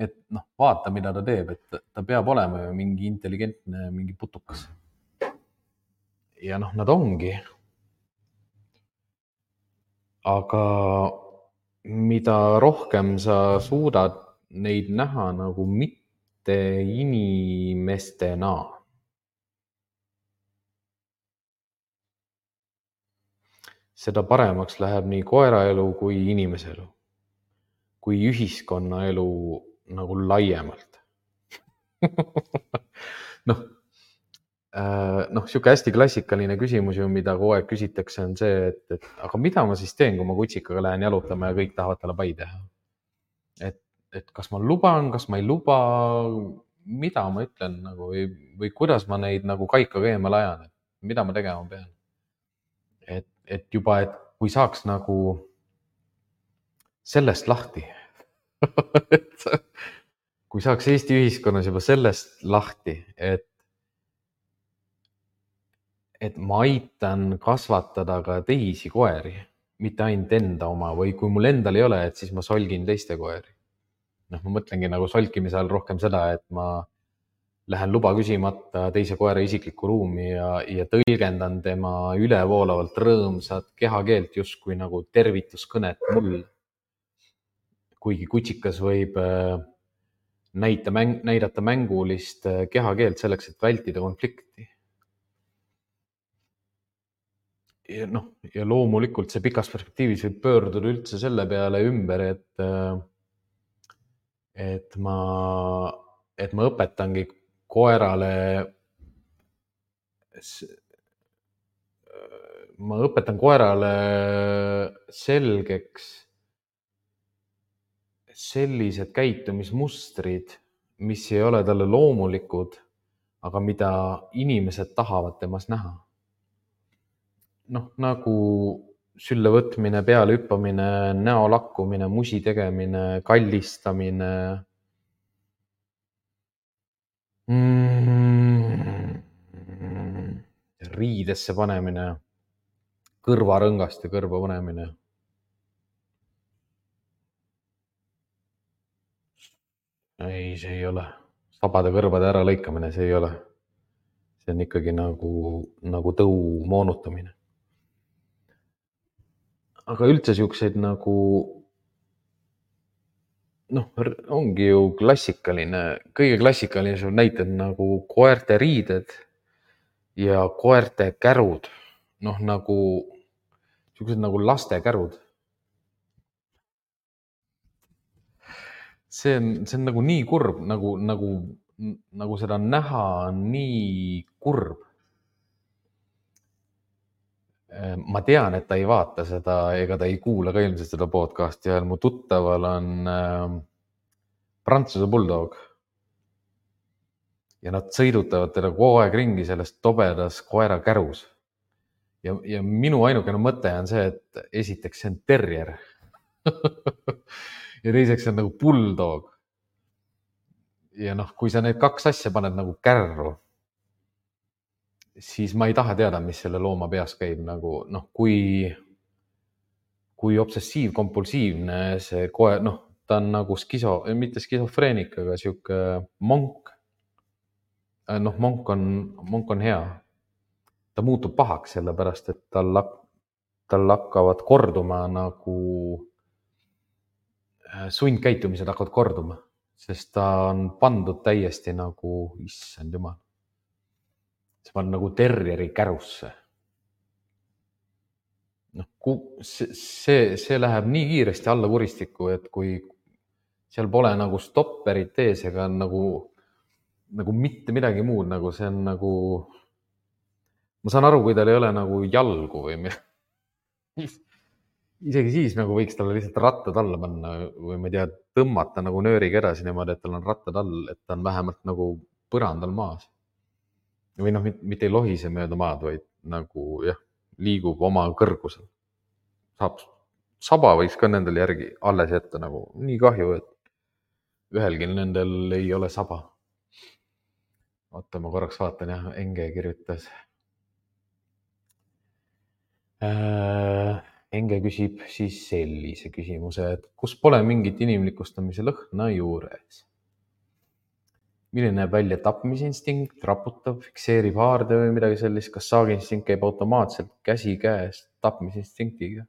et noh, vaata, mida ta teeb, et ta peab olema ju mingi intelligentne, mingi putukas. Ja noh, nad ongi. Aga mida rohkem sa suudad neid näha nagu mitte inimestena, seda paremaks läheb nii koera elu kui inimese elu, kui ühiskonna elu nagu laiemalt. noh, noh, sihuke hästi klassikaline küsimus ju, mida kogu aeg küsitakse, on see, et, et aga mida ma siis teen, kui ma kutsikaga lähen jalutama ja kõik tahavad talle pai teha. et, et kas ma luban, kas ma ei luba, mida ma ütlen nagu või, või kuidas ma neid nagu kaikaga eemale ajan, et mida ma tegema pean. et, et juba, et kui saaks nagu sellest lahti et kui saaks Eesti ühiskonnas juba sellest lahti, et, et ma aitan kasvatada ka teisi koeri, mitte ainult enda oma, või kui mul endal ei ole, et siis ma solgin teiste koeri. noh, ma mõtlengi nagu solkimise all rohkem seda, et ma lähen luba küsimata teise koera isiklikku ruumi ja, ja tõlgendan tema ülevoolavalt rõõmsat kehakeelt justkui nagu tervituskõnet mulle. kuigi kutsikas võib näita, mäng, näidata mängulist kehakeelt selleks, et vältida konflikti. Ja, noh, ja loomulikult see pikas perspektiivis võib pöörduda üldse selle peale ümber, et, et, ma, et ma õpetangi koerale, ma õpetan koerale selgeks sellised käitumismustrid, mis ei ole talle loomulikud, aga mida inimesed tahavad temas näha. noh, nagu sülle võtmine, peale hüppamine, näo lakkumine, musi tegemine, kallistamine mm,, riidesse panemine, kõrvarõngaste kõrva panemine. ei, see ei ole. Sabade kõrvade ära lõikamine, see ei ole. See on ikkagi nagu, nagu tõu moonutamine. aga üldse siukseid nagu, noh, ongi ju klassikaline, kõige klassikalisem näited nagu koerte riided ja koerte kärud. noh, nagu siuksed nagu laste kärud. see on, see on nagu nii kurb, nagu, nagu, nagu seda näha on nii kurb. ma tean, et ta ei vaata seda ega ta ei kuula ka ilmselt seda podcasti ja mu tuttaval on äh, Prantsuse bulldog. ja nad sõidutavad teda kogu aeg ringi selles tobedas koera kärus. ja, ja minu ainukene mõte on see, et esiteks see on terrier ja teiseks see on nagu bulldog. ja noh, kui sa need kaks asja paned nagu kärru, siis ma ei taha teada, mis selle looma peas käib, nagu noh, kui, kui obsessiivkompulsiivne see koer, noh, ta on nagu skiso, mitte skisofreenik, aga sihuke monk. noh, monk on, monk on hea. ta muutub pahaks sellepärast, et tal, tal hakkavad korduma nagu sundkäitumised hakkavad korduma, sest ta on pandud täiesti nagu, issand jumal. see on nagu terrieri kärusse. noh, see, see, see läheb nii kiiresti alla kuristikku, et kui seal pole nagu stopperit ees ega nagu, nagu mitte midagi muud, nagu see on nagu, ma saan aru, kui tal ei ole nagu jalgu või midagi. isegi siis nagu võiks talle lihtsalt rattad alla panna või ma ei tea, tõmmata nagu nööriga edasi niimoodi, et tal on rattad all, et ta on vähemalt nagu põrandal maas. või noh, mitte ei lohise mööda maad, vaid nagu jah, liigub oma kõrgusel. saab, saba võiks ka nendel järgi alles jätta, nagu nii kahju, et ühelgi nendel ei ole saba. oota, ma korraks vaatan jah, Enge kirjutas äh,. Enge küsib siis sellise küsimuse, et kus pole mingit inimlikustamise lõhna juures. Milline näeb välja tapmisinstinkt, raputab, fikseerib haarde või midagi sellist, kas saagiinstinkt käib automaatselt käsikäes tapmisinstinktiga?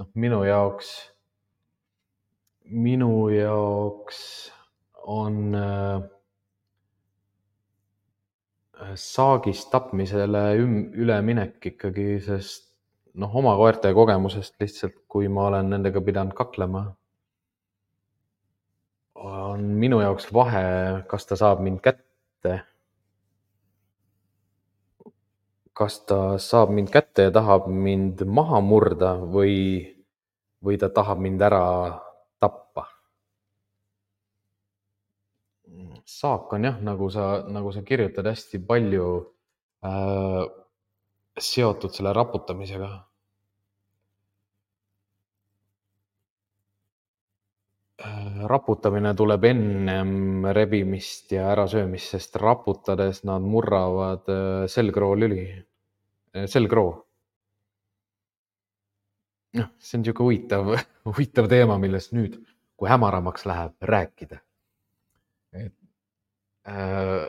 noh, minu jaoks, minu jaoks on äh, saagist tapmisele üleminek ikkagi, sest noh, oma koerte kogemusest lihtsalt, kui ma olen nendega pidanud kaklema, on minu jaoks vahe, kas ta saab mind kätte, kas ta saab mind kätte ja tahab mind maha murda või, või ta tahab mind ära tappa. Saak on jah, nagu sa, nagu sa kirjutad, hästi palju äh, seotud selle raputamisega. Raputamine tuleb ennem rebimist ja ärasöömist, sest raputades nad murravad selgroo lüli, selgroo. noh, see on niisugune huvitav, huvitav teema, millest nüüd, kui hämaramaks läheb, rääkida. Et, äh,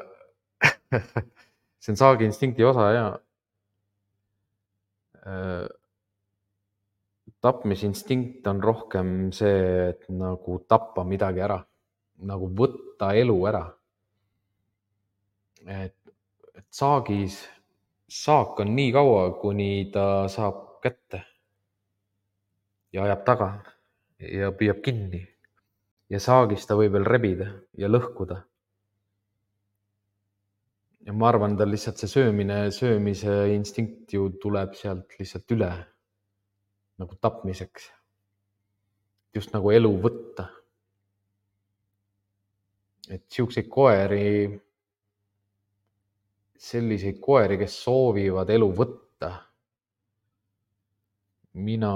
see on saagiinstinkti osa ja äh, tapmisinstinkt on rohkem see, et nagu tappa midagi ära, nagu võtta elu ära. Et, et saagis, saak on nii kaua, kuni ta saab kätte ja ajab taga ja püüab kinni. Ja saagis ta võib veel rebida ja lõhkuda. Ja ma arvan, ta lihtsalt see söömine, söömise instinkt ju tuleb sealt lihtsalt üle nagu tapmiseks. Just nagu elu võtta. Et siukseid koeri, selliseid koeri, kes soovivad elu võtta, mina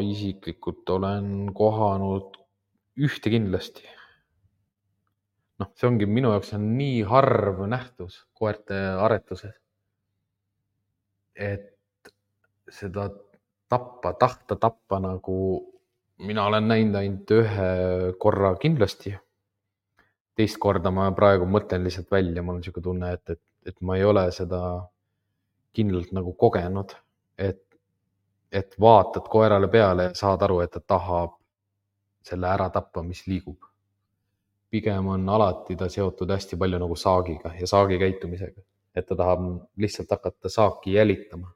isiklikult olen kohanud ühte kindlasti. noh, see ongi minu jaoks on nii harv nähtus koerte aretuses, et seda tappa, tahta tappa nagu mina olen näinud ainult ühe korra kindlasti. Teist korda ma praegu mõtlen lihtsalt välja, mul on niisugune tunne, et, et, et ma ei ole seda kindlalt nagu kogenud, et, et vaatad koerale peale ja saad aru, et ta tahab selle ära tappa, mis liigub. Pigem on alati ta seotud hästi palju nagu saagiga ja saagi käitumisega, et ta tahab lihtsalt hakata saaki jälitama.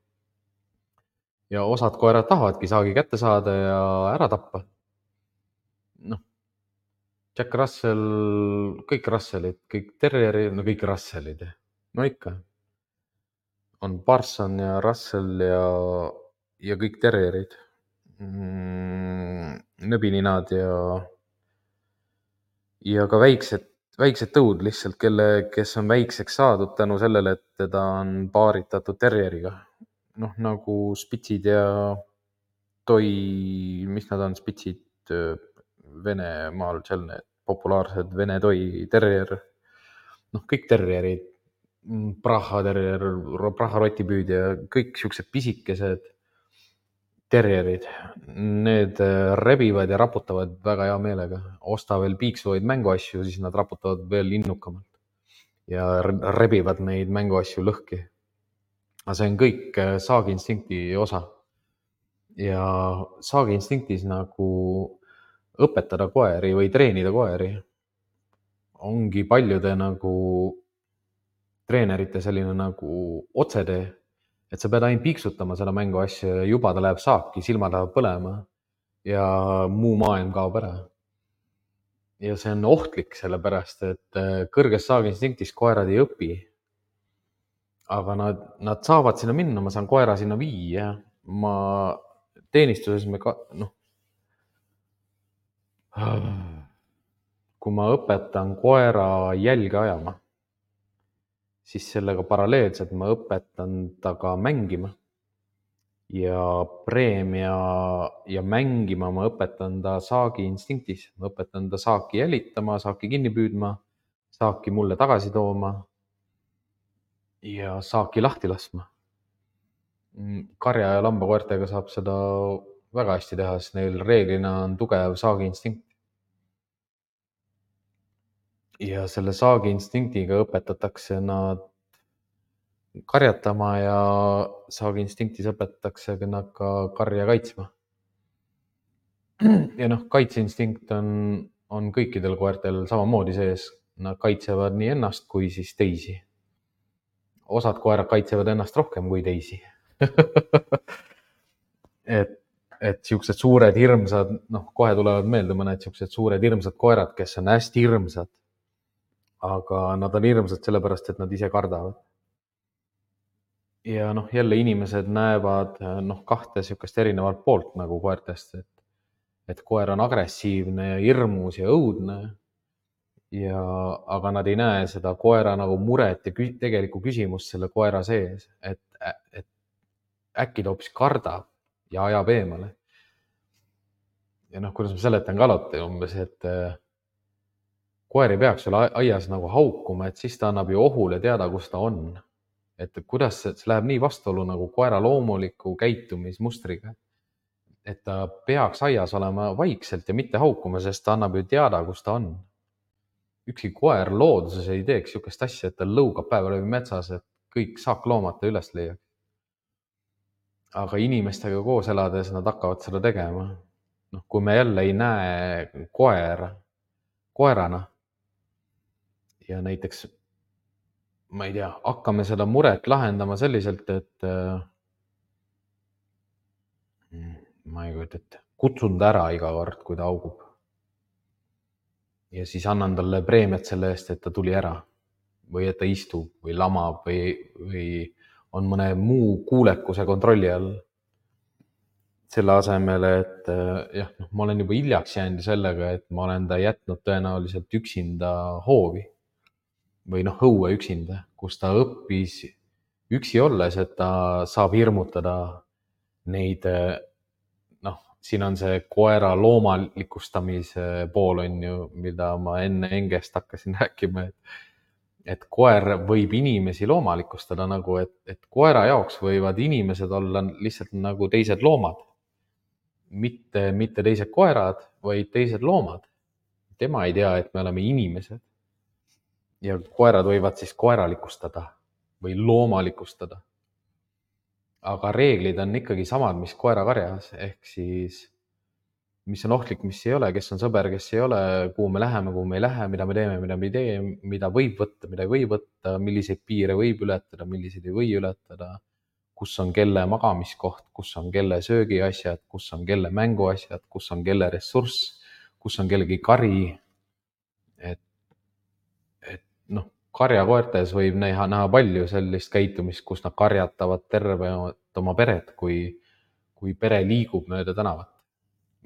Ja osad koerad tahavadki saagi kätte saada ja ära tappa. noh, Jack Russell, kõik Russellid, kõik terrierid, no kõik Russellid, no ikka. on Parson ja Russell ja, ja kõik terrierid, mm, nõbininad ja ja ka väiksed, väiksed tõud lihtsalt, kelle, kes on väikseks saadud tänu sellele, et teda on paaritatud terrieriga. noh, nagu spitsid ja toi, mis nad on, spitsid Venemaal, seal need populaarsed Vene toi terrier. noh, kõik terrierid, Praha terrier, Praha rotipüüdja, kõik siuksed pisikesed terrierid, need rebivad ja raputavad väga hea meelega. Osta veel piiksuvaid mänguasju, siis nad raputavad veel innukamalt ja rebivad neid mänguasju lõhki. Aga see on kõik saagiinstinkti osa. Ja saagiinstinktis nagu õpetada koeri või treenida koeri ongi paljude nagu treenerite selline nagu otsetee. Et sa pead ainult piiksutama seda mänguasja ja juba ta läheb saaki, silmad lähevad põlema ja muu maailm kaob ära. Ja see on ohtlik, sellepärast et kõrges saagiinstinktis koerad ei õpi. Aga nad, nad saavad sinna minna, ma saan koera sinna viia. Ma teenistuses me ka, noh, kui ma õpetan koera jälge ajama, siis sellega paralleelselt ma õpetan ta ka mängima ja preemia ja mängima ma õpetan ta saagi instinktis. Ma õpetan ta saaki jälitama, saaki kinni püüdma, saaki mulle tagasi tooma ja saaki lahti laskma. Karja ja lambakoertega saab seda väga hästi teha, sest neil reeglina on tugev saagiinstinkt. Ja selle saagiinstinktiga õpetatakse nad karjatama ja saagiinstinktis õpetatakse nad ka karja kaitsma. Ja noh, kaitseinstinkt on, on kõikidel koertel samamoodi sees. Nad kaitsevad nii ennast kui siis teisi. Osad koerad kaitsevad ennast rohkem kui teisi. et, et siuksed suured hirmsad, noh, kohe tulevad meelde mõned siuksed suured hirmsad koerad, kes on hästi hirmsad. Aga nad on hirmsad sellepärast, et nad ise kardavad. Ja noh, jälle inimesed näevad noh, kahte siukest erinevat poolt nagu koertest, et, et koer on agressiivne ja hirmus ja õudne. Ja, aga nad ei näe seda koera nagu muret ja kü tegelikku küsimust selle koera sees, et, et äkki ta hoopis kardab ja ajab eemale. Ja noh, kuidas ma seletan ka alati umbes, et koer ei peaks sulle aias nagu haukuma, et siis ta annab ju ohule teada, kus ta on. Et kuidas see, see läheb nii vastuolu nagu koera loomuliku käitumismustriga, et ta peaks aias olema vaikselt ja mitte haukuma, sest ta annab ju teada, kus ta on. Ükski koer looduses ei teeks siukest asja, et ta lõugab päeva läbi metsas, et kõik saakloomad ta üles leiaks. Aga inimestega koos elades nad hakkavad seda tegema. Noh, kui me jälle ei näe koera koerana ja näiteks, ma ei tea, hakkame seda muret lahendama selliselt, et ma ei kujuta ette, kutsun ta ära iga kord, kui ta augub. Ja siis annan talle preemiat selle eest, et ta tuli ära või et ta istub või lamab või, või on mõne muu kuulekuse kontrolli all. Selle asemel, et jah, noh, ma olen juba hiljaks jäänud sellega, et ma olen ta jätnud tõenäoliselt üksinda hoovi või noh, õue üksinda, kus ta õppis üksi olles, et ta saab hirmutada neid. Noh, siin on see koera loomalikustamise pool on ju, mida ma enne Engest hakkasin rääkima, et, et koer võib inimesi loomalikustada nagu, et, et koera jaoks võivad inimesed olla lihtsalt nagu teised loomad. Mitte, mitte teised koerad, vaid teised loomad. Tema ei tea, et me oleme inimesed. Ja koerad võivad siis koeralikustada või loomalikustada. Aga reeglid on ikkagi samad, mis koera karjas, ehk siis mis on ohtlik, mis ei ole, kes on sõber, kes ei ole, kuhu me läheme, kuhu me ei lähe, mida me teeme, mida me ei tee, mida võib võtta, mida ei või võtta, milliseid piire võib ületada, milliseid ei või ületada, kus on kelle magamiskoht, kus on kelle söögiasjad, kus on kelle mänguasjad, kus on kelle ressurss, kus on kellegi kari. Et, et noh, karjakoertes võib näha, näha palju sellist käitumist, kus nad karjatavad terve oma peret, kui, kui pere liigub mööda tänavat.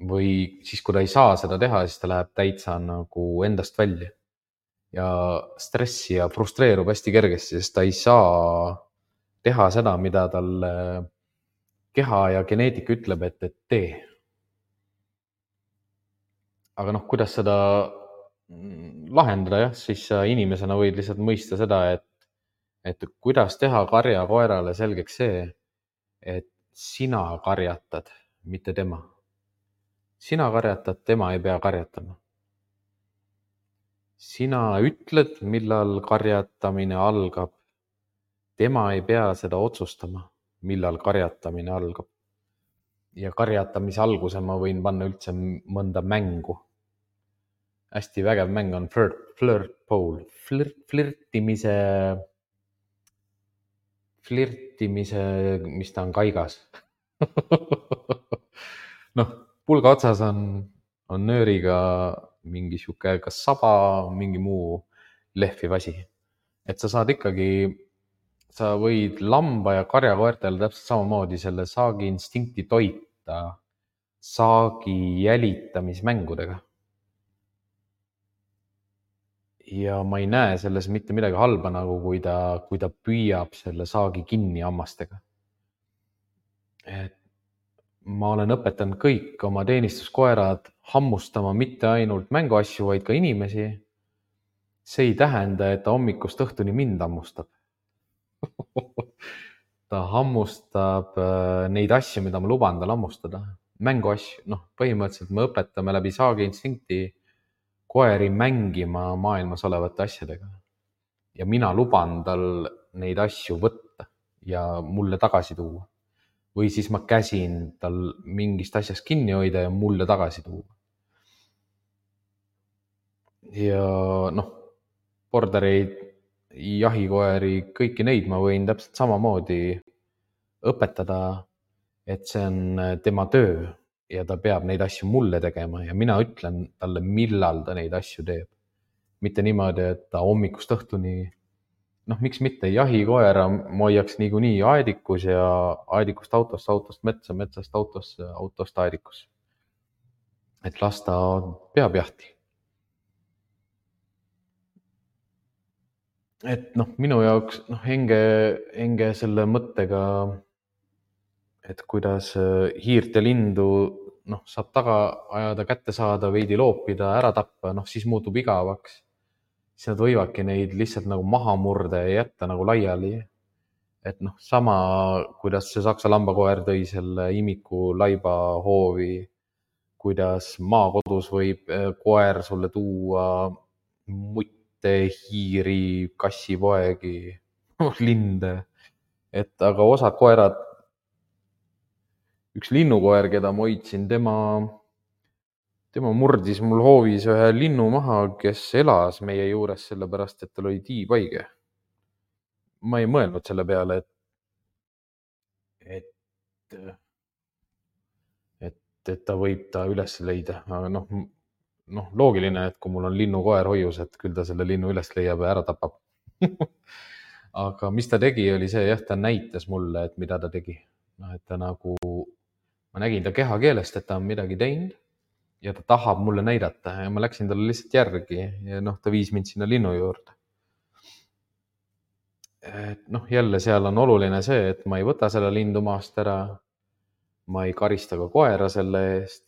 Või siis, kui ta ei saa seda teha, siis ta läheb täitsa nagu endast välja ja stressi ja frustreerub hästi kergesti, sest ta ei saa teha seda, mida talle keha ja geneetika ütleb, et, et tee. Aga noh, kuidas seda lahendada, jah, siis sa inimesena võid lihtsalt mõista seda, et, et kuidas teha karja koerale selgeks see, et sina karjatad, mitte tema. Sina karjatad, tema ei pea karjatama. Sina ütled, millal karjatamine algab. Tema ei pea seda otsustama, millal karjatamine algab. Ja karjatamise alguse ma võin panna üldse mõnda mängu. Hästi vägev mäng on flirt, flirt pole, flirt, flirtimise, flirtimise, mis ta on kaigas. Noh, pulga otsas on, on nööriga mingi siuke kas saba, mingi muu lehviv asi. Et sa saad ikkagi, sa võid lamba ja karjakoertel täpselt samamoodi selle saagi instinkti toita saagi jälitamismängudega. Ja ma ei näe selles mitte midagi halba, nagu kui ta, kui ta püüab selle saagi kinni hammastega. Et ma olen õpetanud kõik oma teenistuskoerad hammustama mitte ainult mänguasju, vaid ka inimesi. see ei tähenda, et ta hommikust õhtuni mind hammustab. ta hammustab neid asju, mida ma luban tal hammustada. Mänguasju, noh, põhimõtteliselt me õpetame läbi Saagi instinkti koeri mängima maailmas olevate asjadega. Ja mina luban tal neid asju võtta ja mulle tagasi tuua. Või siis ma käsin tal mingist asjast kinni hoida ja mulle tagasi tuua. Ja noh, bordereid, jahikoeri, kõiki neid ma võin täpselt samamoodi õpetada, et see on tema töö ja ta peab neid asju mulle tegema ja mina ütlen talle, millal ta neid asju teeb. Mitte niimoodi, et ta hommikust õhtuni, noh, miks mitte, jahikoera ma hoiaks niikuinii aedikus ja aedikust autost, autost metsa, metsast autosse, autost aedikus. Et las ta peab jahti. Et noh, minu jaoks noh, enge, enge selle mõttega, et kuidas hiirt ja lindu noh, saab taga ajada, kätte saada, veidi loopida, ära tappa, noh siis muutub igavaks. Siis nad võivadki neid lihtsalt nagu maha murda ja jätta nagu laiali. Et noh, sama kuidas see saksa lambakoer tõi selle imiku laiba hoovi, kuidas maakodus võib koer sulle tuua mutte, hiiri, kassipoegi, linde. Et aga osad koerad, üks linnukoer, keda ma hoidsin, tema, tema murdis mul hoovis ühe linnu maha, kes elas meie juures sellepärast, et tal oli tiibhaige. Ma ei mõelnud selle peale, et, et, et, et ta võib ta üles leida. Aga noh, noh, loogiline, et kui mul on linnukoer hoius, et küll ta selle linnu üles leiab ja ära tapab. Aga mis ta tegi, oli see, jah, ta näitas mulle, et mida ta tegi. No, et ta nagu, ma nägin ta kehakeelest, et ta on midagi teinud ja ta tahab mulle näidata ja ma läksin talle lihtsalt järgi ja noh, ta viis mind sinna linnu juurde. Et noh, jälle seal on oluline see, et ma ei võta selle lindu maast ära. Ma ei karista ka koera selle eest.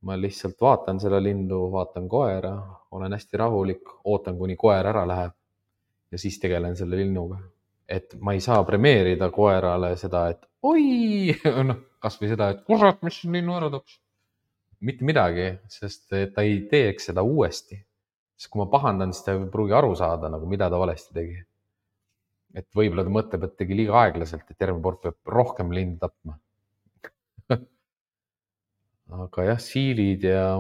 Ma lihtsalt vaatan selle lindu, vaatan koera, olen hästi rahulik, ootan, kuni koer ära läheb ja siis tegelen selle linnuga. Et ma ei saa premeerida koerale seda, et oi, noh, kas või seda, et kurat, mis linnu ära taps. Mitte midagi, sest ta ei teeks seda uuesti. Sest kui ma pahandan, siis ta ei pruugi aru saada, nagu mida ta valesti tegi. Et võib-olla ta mõtleb, et tegi liiga aeglaselt, et järgmine kord peab rohkem lindu tapma. Aga jah, siilid ja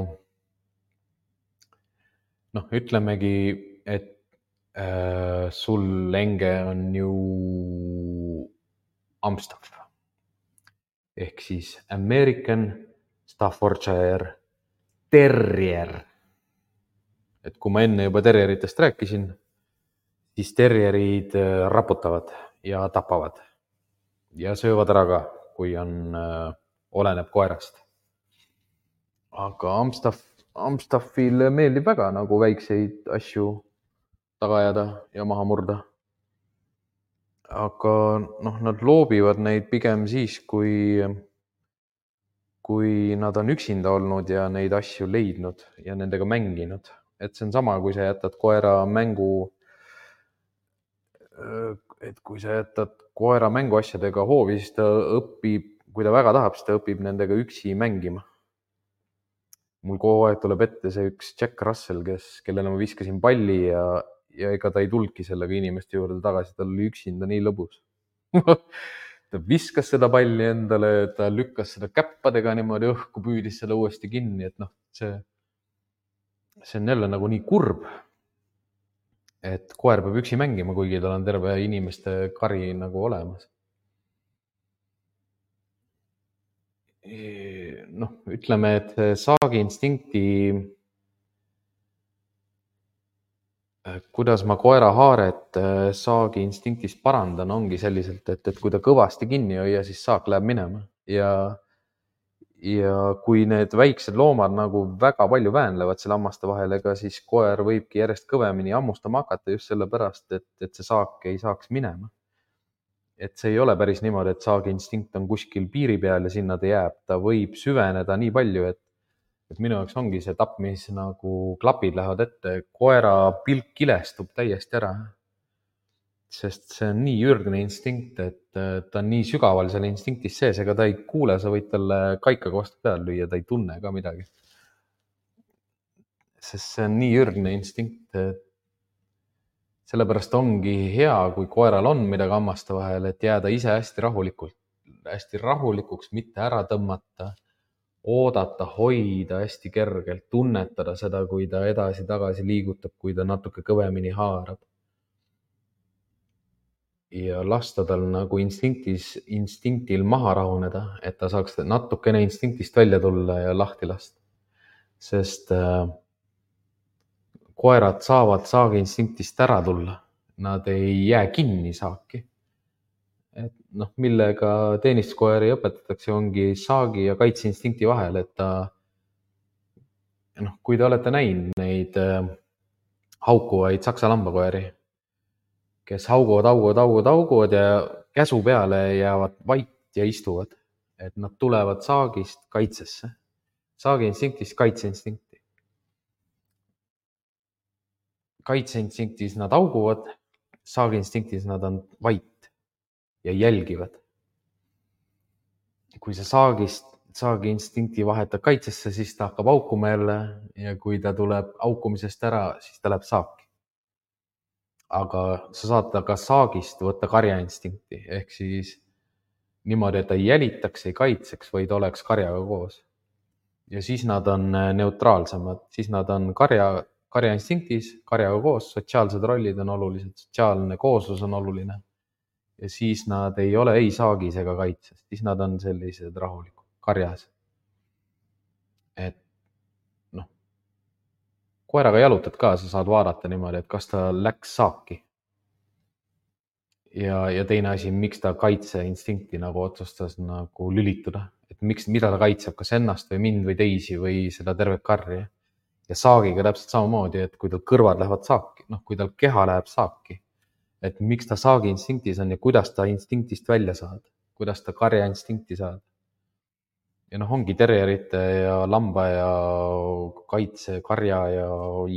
noh, ütlemegi, et äh, sul enge on ju Amstaff ehk siis American Staffordshire Terrier. Et kui ma enne juba terrieritest rääkisin, siis terrierid raputavad ja tapavad ja söövad ära ka, kui on, äh, oleneb koerast. Aga Amstaff, Amstaffile meeldib väga nagu väikseid asju taga ajada ja maha murda. Aga noh, nad loobivad neid pigem siis, kui, kui nad on üksinda olnud ja neid asju leidnud ja nendega mänginud. Et see on sama, kui sa jätad koera mängu, et kui sa jätad koera mänguasjadega hoovi, siis ta õpib, kui ta väga tahab, siis ta õpib nendega üksi mängima. Mul kogu aeg tuleb ette see üks Jack Russell, kes, kellele ma viskasin palli ja, ja ega ta ei tulnudki sellega inimeste juurde tagasi, tal oli üksinda nii lõbus. Ta viskas seda palli endale, ta lükkas seda käppadega niimoodi õhku, püüdis seda uuesti kinni, et noh, see, see on jälle nagu nii kurb, et koer peab üksi mängima, kuigi tal on terve inimeste kari nagu olemas. Noh, ütleme, et Saagi instinkti, kuidas ma koera haaret Saagi instinktist parandan, ongi selliselt, et, et kui ta kõvasti kinni hoia, siis Saak läheb minema ja, ja kui need väiksed loomad nagu väga palju väänlevad selle hammaste vahel, ega siis koer võibki järjest kõvemini hammustama hakata just sellepärast, et, et see Saak ei saaks minema. Et see ei ole päris niimoodi, et Saagi instinkt on kuskil piiri peal ja sinna ta jääb. Ta võib süveneda nii palju, et, et minu jaoks ongi see tapp, mis nagu klapid lähevad ette, koera pilk kilestub täiesti ära. Sest see on nii ürgne instinkt, et ta on nii sügaval seal instinktis sees, ega ta ei kuule, sa võid talle kaikaga vastu peal lüüa, ta ei tunne ka midagi. Sest see on nii ürgne instinkt, et sellepärast ongi hea, kui koeral on midagi hammaste vahel, et jääda ise hästi rahulikult, hästi rahulikuks, mitte ära tõmmata, oodata, hoida hästi kergelt, tunnetada seda, kui ta edasi-tagasi liigutab, kui ta natuke kõvemini haarab. Ja lasta tal nagu instinktis, instinktil maha rahuneda, et ta saaks natukene instinktist välja tulla ja lahti lasta. Sest äh, koerad saavad saagi instinktist ära tulla. Nad ei jää kinni saaki. Et noh, millega teenistuskoeri õpetatakse, ongi saagi ja kaitseinstinkti vahel, et ta, noh, kui te olete näinud neid äh, haukuvaid saksa lambakoeri, kes hauguvad, hauguvad, hauguvad, hauguvad ja käsu peale jäävad vait ja istuvad. Et nad tulevad saagist kaitsesse. Saagiinstinktis kaitseinstinkti. Kaitseinstinktis nad hauguvad, saagiinstinktis nad on vait ja jälgivad. Kui sa saagist, saagiinstinkti vahetad kaitsesse, siis ta hakkab haukuma jälle ja kui ta tuleb haukumisest ära, siis ta läheb saaki. Aga sa saad ka saagist võtta karjainstinkti, ehk siis niimoodi, et ta ei jälitaks, ei kaitseks, vaid oleks karjaga koos. Ja siis nad on neutraalsemad, siis nad on karja, karjainstinktis, karjaga koos, sotsiaalsed rollid on olulised, sotsiaalne kooslus on oluline. Ja siis nad ei ole ei saagis ega kaitses, siis nad on sellised rahulikud, karjas. Et noh, koeraga jalutad ka, sa saad vaadata niimoodi, et kas ta läks saaki. Ja, ja teine asi, miks ta kaitseinstinkti nagu otsustas nagu lülituda, et miks, mida ta kaitseb, kas ennast või mind või teisi või seda tervet karri. Ja saagiga täpselt samamoodi, et kui tal kõrvad lähevad saaki, noh, kui tal keha läheb saaki, et miks ta saagi instinktis on ja kuidas ta instinktist välja saad, kuidas ta karja instinkti saad. Ja noh, ongi terjerite ja lamba ja kaitse, karja ja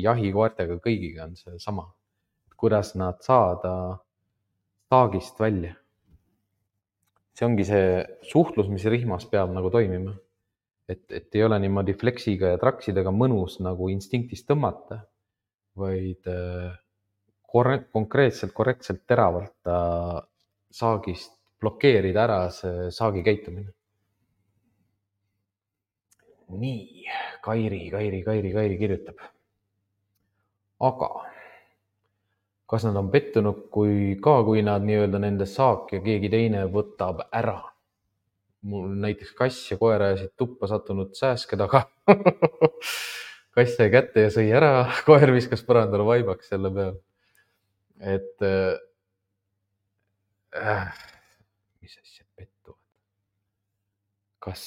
jahikoertega kõigiga on see sama. Kuidas nad saada saagist välja. See ongi see suhtlus, mis rihmas peab nagu toimima. Et, et ei ole niimoodi fleksiga ja traksidega mõnus nagu instinktist tõmmata, vaid korre- konkreetselt, korrektselt teravalt ta saagist blokeerida ära see saagi käitumine. Nii, Kairi, Kairi, Kairi, Kairi kirjutab. Aga kas nad on pettunud kui ka, kui nad nii-öelda nende saak ja keegi teine võtab ära? Mul näiteks kass ja koer ajasid tuppa sattunud sääske taga. Kass sai kätte ja sõi ära, koer viskas põrandale vaibaks selle peal. Et äh, mis asjad pettuvad? Kas,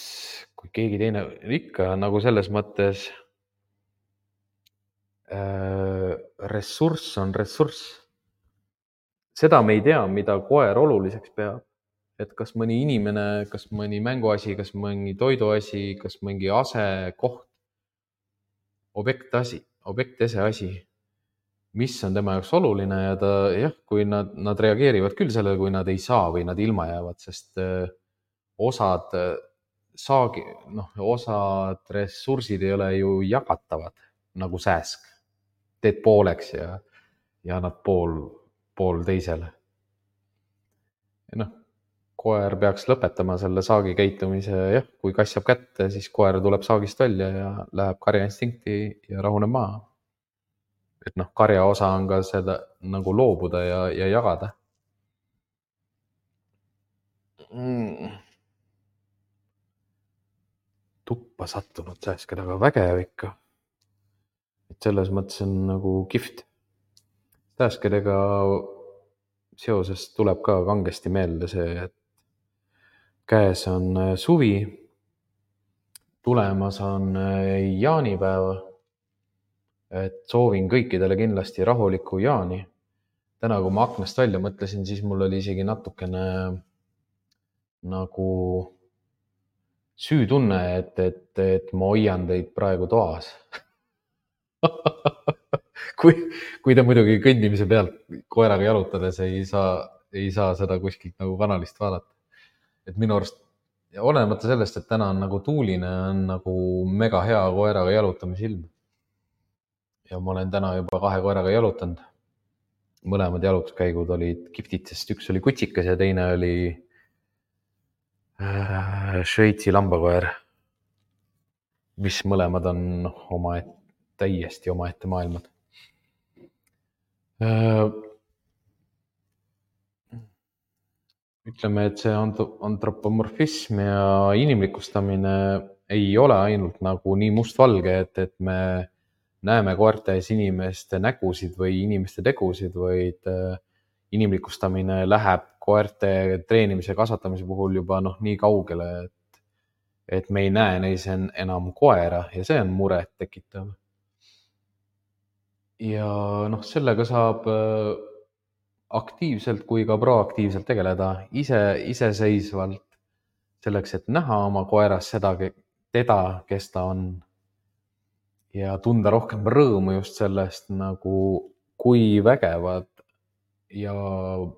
kui keegi teine ikka nagu selles mõttes äh, ressurss on ressurss. Seda me ei tea, mida koer oluliseks peab. Et kas mõni inimene, kas mõni mänguasi, kas mõni toiduasi, kas mõni ase, koht, objektasi, objektese asi, mis on tema jaoks oluline ja ta, jah, kui nad, nad reageerivad küll sellele, kui nad ei saa või nad ilma jäävad, sest osad saagi, noh, osad ressursid ei ole ju jagatavad nagu sääsk. Teed pooleks ja, ja annad pool, pool teisele. Ja noh, koer peaks lõpetama selle saagi käitumise, jah, kui kass saab kätte, siis koer tuleb saagist välja ja läheb karjainstinkti ja rahuneb maha. Et noh, karja osa on ka seda nagu loobuda ja, ja jagada. Mm. Tuppa sattunud sääske taga, vägev ikka. Et selles mõttes on nagu kihvt. Sääskedega seoses tuleb ka kangesti meelde see, et käes on suvi, tulemas on jaanipäev, et soovin kõikidele kindlasti rahulikku jaani. Täna, kui ma aknast välja mõtlesin, siis mul oli isegi natukene nagu süütunne, et, et, et ma hoian teid praegu toas. kui, kui te muidugi kõndimise pealt koeraga jalutades ei saa, ei saa seda kuskilt nagu kanalist vaadata. Et minu arust, olenemata sellest, et täna on nagu tuuline, on nagu mega hea koeraga jalutamise ilm. Ja ma olen täna juba kahe koeraga jalutanud. Mõlemad jalutuskäigud olid kihvtid, sest üks oli kutsikas ja teine oli äh, Šveitsi lambakoer, mis mõlemad on oma et, täiesti omaette maailmad. Äh, ütleme, et see antropomorfism ja inimlikustamine ei ole ainult nagu nii mustvalge, et, et me näeme koertes inimeste nägusid või inimeste tegusid, vaid inimlikustamine läheb koerte treenimise ja kasvatamise puhul juba noh, nii kaugele, et, et me ei näe neis enam koera ja see on muret tekitav. Ja noh, sellega saab aktiivselt kui ka proaktiivselt tegeleda ise, iseseisvalt selleks, et näha oma koeras seda, teda, kes ta on. Ja tunda rohkem rõõmu just sellest, nagu kui vägevad ja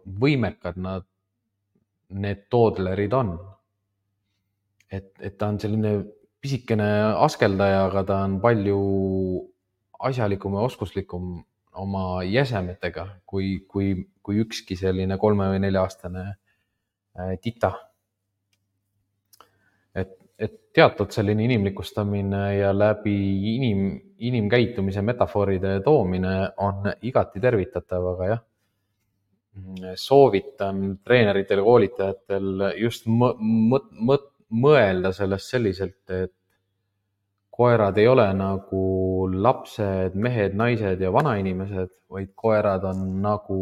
võimekad nad, need toodlerid on. Et, et ta on selline pisikene askeldaja, aga ta on palju asjalikum ja oskuslikum oma jäsemetega, kui, kui, kui ükski selline kolme või nelja aastane tita. Et, et teatud selline inimlikustamine ja läbi inim, inimkäitumise metafooride toomine on igati tervitatav, aga jah, soovitan treeneritel ja koolitajatel just mõ, mõ, mõ, mõelda sellest selliselt, et koerad ei ole nagu lapsed, mehed, naised ja vanainimesed, vaid koerad on nagu,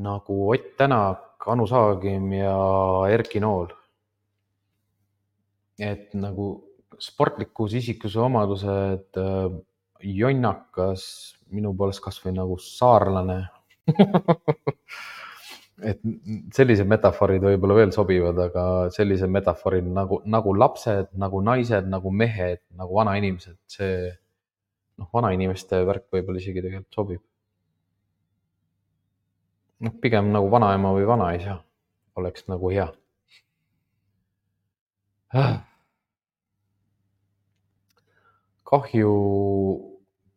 nagu Ott Tänak, Anu Saagim ja Erki Nool. Et nagu sportlikus isikuse omadused, jonnakas, minu poolest kas või nagu saarlane. Et sellised metaforid võib-olla veel sobivad, aga sellised metaforid nagu, nagu lapsed, nagu naised, nagu mehed, nagu vanainimesed, see noh, vanainimeste värk võib-olla isegi tegelikult sobib. noh, pigem nagu vanaema või vanaisa oleks nagu hea. Kahju,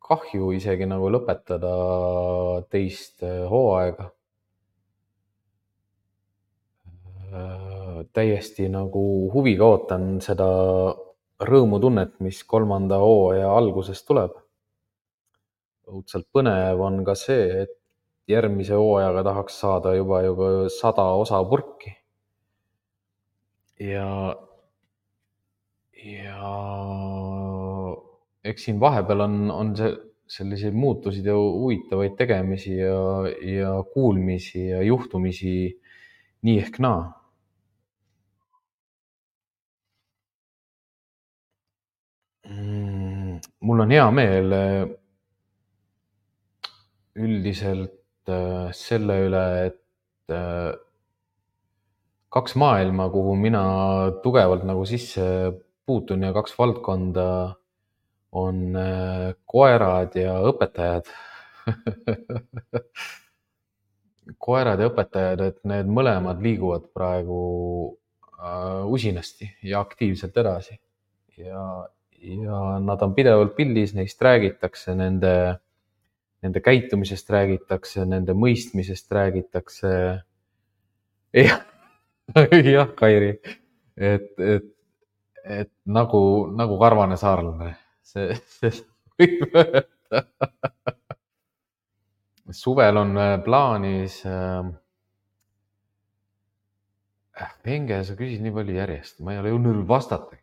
kahju isegi nagu lõpetada teist hooaega. Täiesti nagu huviga ootan seda rõõmutunnet, mis kolmanda hooaja alguses tuleb. Õudselt põnev on ka see, et järgmise hooajaga tahaks saada juba, juba sada osa purki. Ja, ja eks siin vahepeal on, on see selliseid muutusid ja huvitavaid tegemisi ja, ja kuulmisi ja juhtumisi nii ehk naa. Mul on hea meel üldiselt selle üle, et kaks maailma, kuhu mina tugevalt nagu sisse puutun ja kaks valdkonda on koerad ja õpetajad. Koerad ja õpetajad, et need mõlemad liiguvad praegu usinasti ja aktiivselt edasi. Ja, ja nad on pidevalt pildis, neist räägitakse, nende, nende käitumisest räägitakse, nende mõistmisest räägitakse. jah, jah, Kairi, et, et, et nagu, nagu karvane saarlane, see, see võib öelda. Suvel on plaanis äh, Venge, sa küsid nii palju järjest, ma ei ole jõudnud vastata.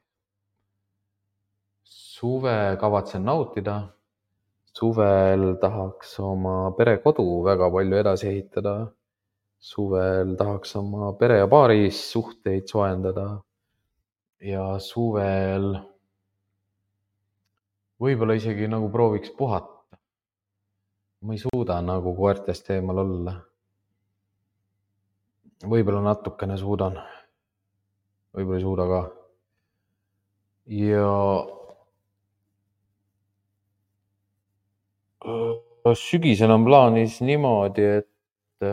Suve kavatsen nautida. Suvel tahaks oma perekodu väga palju edasi ehitada. Suvel tahaks oma pere ja paaris suhteid soojendada. Ja suvel võib-olla isegi nagu prooviks puhata. Ma ei suuda nagu koertest eemal olla. Võib-olla natukene suudan. Võib-olla ei suuda ka. ja sügisel on plaanis niimoodi, et,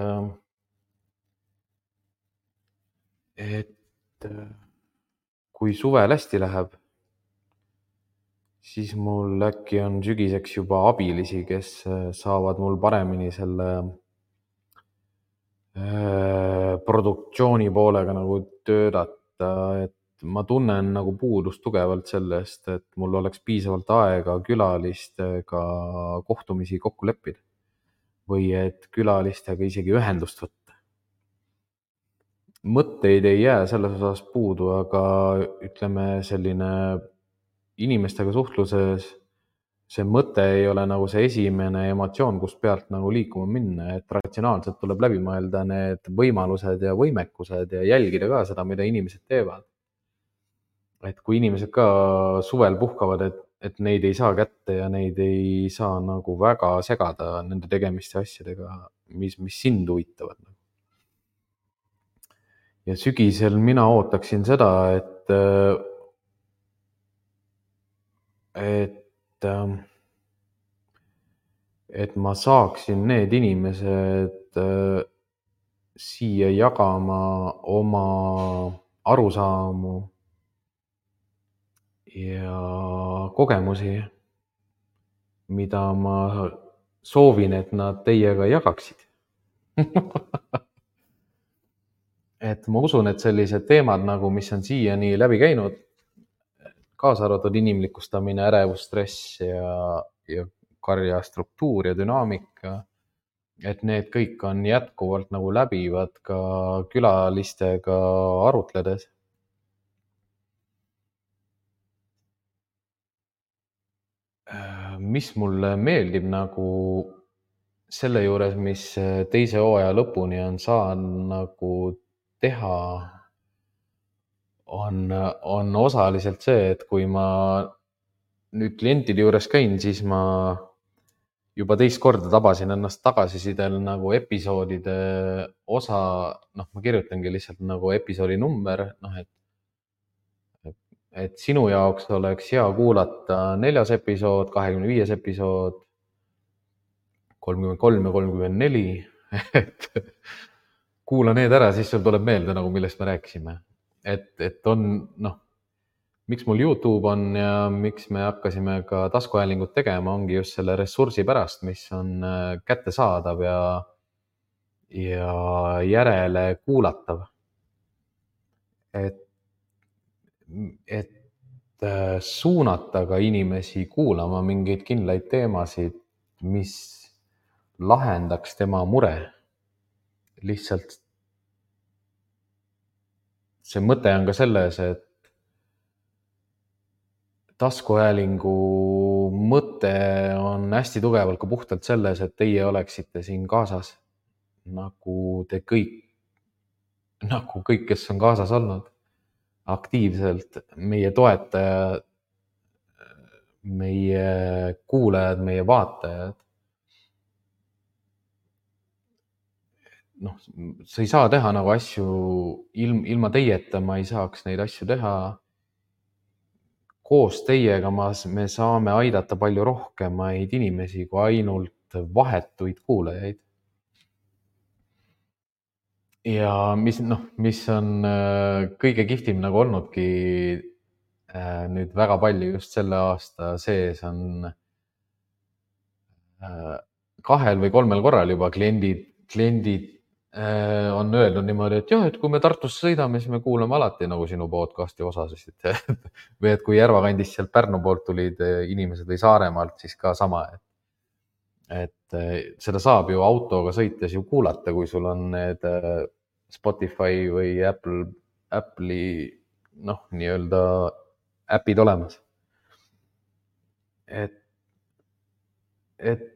et kui suvel hästi läheb, siis mul äkki on sügiseks juba abilisi, kes saavad mul paremini selle produktsiooni poolega nagu töötada, et ma tunnen nagu puudust tugevalt sellest, et mul oleks piisavalt aega külalistega kohtumisi kokku leppida või et külalistega isegi ühendust võtta. Mõtteid ei jää selles osas puudu, aga ütleme selline inimestega suhtluses see mõte ei ole nagu see esimene emotsioon, kust pealt nagu liikuma minna, et ratsionaalselt tuleb läbi mõelda need võimalused ja võimekused ja jälgida ka seda, mida inimesed teevad. Et kui inimesed ka suvel puhkavad, et, et neid ei saa kätte ja neid ei saa nagu väga segada nende tegemiste asjadega, mis, mis sind huvitavad. Ja sügisel mina ootaksin seda, et, et et ma saaksin need inimesed siia jagama oma arusaamu ja kogemusi, mida ma soovin, et nad teiega jagaksid. et ma usun, et sellised teemad nagu, mis on siiani läbi käinud, kaasa arvatud inimlikustamine, ärevus, stress ja, ja karja struktuur ja dünaamika, et need kõik on jätkuvalt nagu läbivad ka külalistega arutledes. Mis mulle meeldib nagu selle juures, mis teise hooaja lõpuni on saanud nagu teha, on, on osaliselt see, et kui ma nüüd klientide juures käin, siis ma juba teist korda tabasin ennast tagasisidel nagu episoodide osa, noh, ma kirjutangi lihtsalt nagu episoodi number, noh, et, et, et sinu jaoks oleks hea kuulata neljas episood, kahekümne viies episood, kolmkümmend kolm ja kolmkümmend neli, et kuula need ära, siis sul tuleb meelde nagu, millest me rääkisime. Et, et on, noh, miks mul YouTube on ja miks me hakkasime ka taskuhäälingut tegema, ongi just selle ressursi pärast, mis on kättesaadav ja, ja järele kuulatav. Et, et suunata ka inimesi kuulama mingeid kindlaid teemasid, mis lahendaks tema mure. Lihtsalt see mõte on ka selles, et taskuhäälingu mõte on hästi tugevalt ka puhtalt selles, et teie oleksite siin kaasas, nagu te kõik, nagu kõik, kes on kaasas olnud, aktiivselt, meie toetajad, meie kuulajad, meie vaatajad. Noh, sa ei saa teha nagu asju ilm, ilma teieta, ma ei saaks neid asju teha. Koos teiega ma, me saame aidata palju rohkemaid inimesi kui ainult vahetuid kuulajaid. Ja mis, noh, mis on kõige kihvtim nagu olnudki nüüd väga palju just selle aasta sees on kahel või kolmel korral juba kliendid, kliendid on öelnud niimoodi, et jah, et kui me Tartusse sõidame, siis me kuulame alati nagu sinu podcasti osasid. Või et kui Järva kandist sealt Pärnu poolt tulid inimesed või Saaremaalt, siis ka sama. Et seda saab ju autoga sõites ju kuulata, kui sul on need Spotify või Apple, Apple'i, noh, nii-öelda äpid olemas. Et, et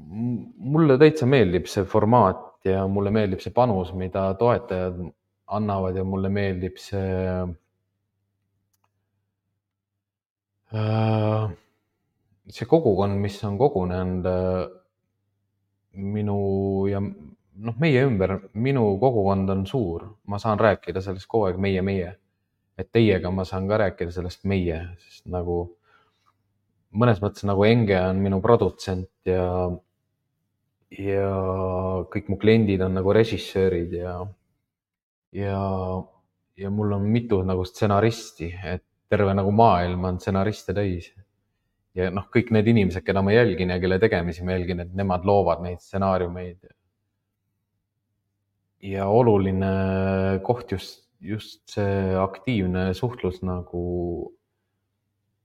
mulle täitsa meeldib see formaat ja mulle meeldib see panus, mida toetajad annavad ja mulle meeldib see see kogukond, mis on kogunenud minu ja noh, meie ümber. Minu kogukond on suur, ma saan rääkida sellest kogu aeg meie, meie. et teiega ma saan ka rääkida sellest meie, sest nagu mõnes mõttes nagu Enge on minu produtsent ja, ja kõik mu kliendid on nagu režissöörid ja, ja, ja mul on mitu nagu stsenaristi, et terve nagu maailm on stsenariste täis. Ja noh, kõik need inimesed, keda ma jälgin ja kelle tegemisi ma jälgin, et nemad loovad neid stsenaariumeid. Ja oluline koht just, just see aktiivne suhtlus nagu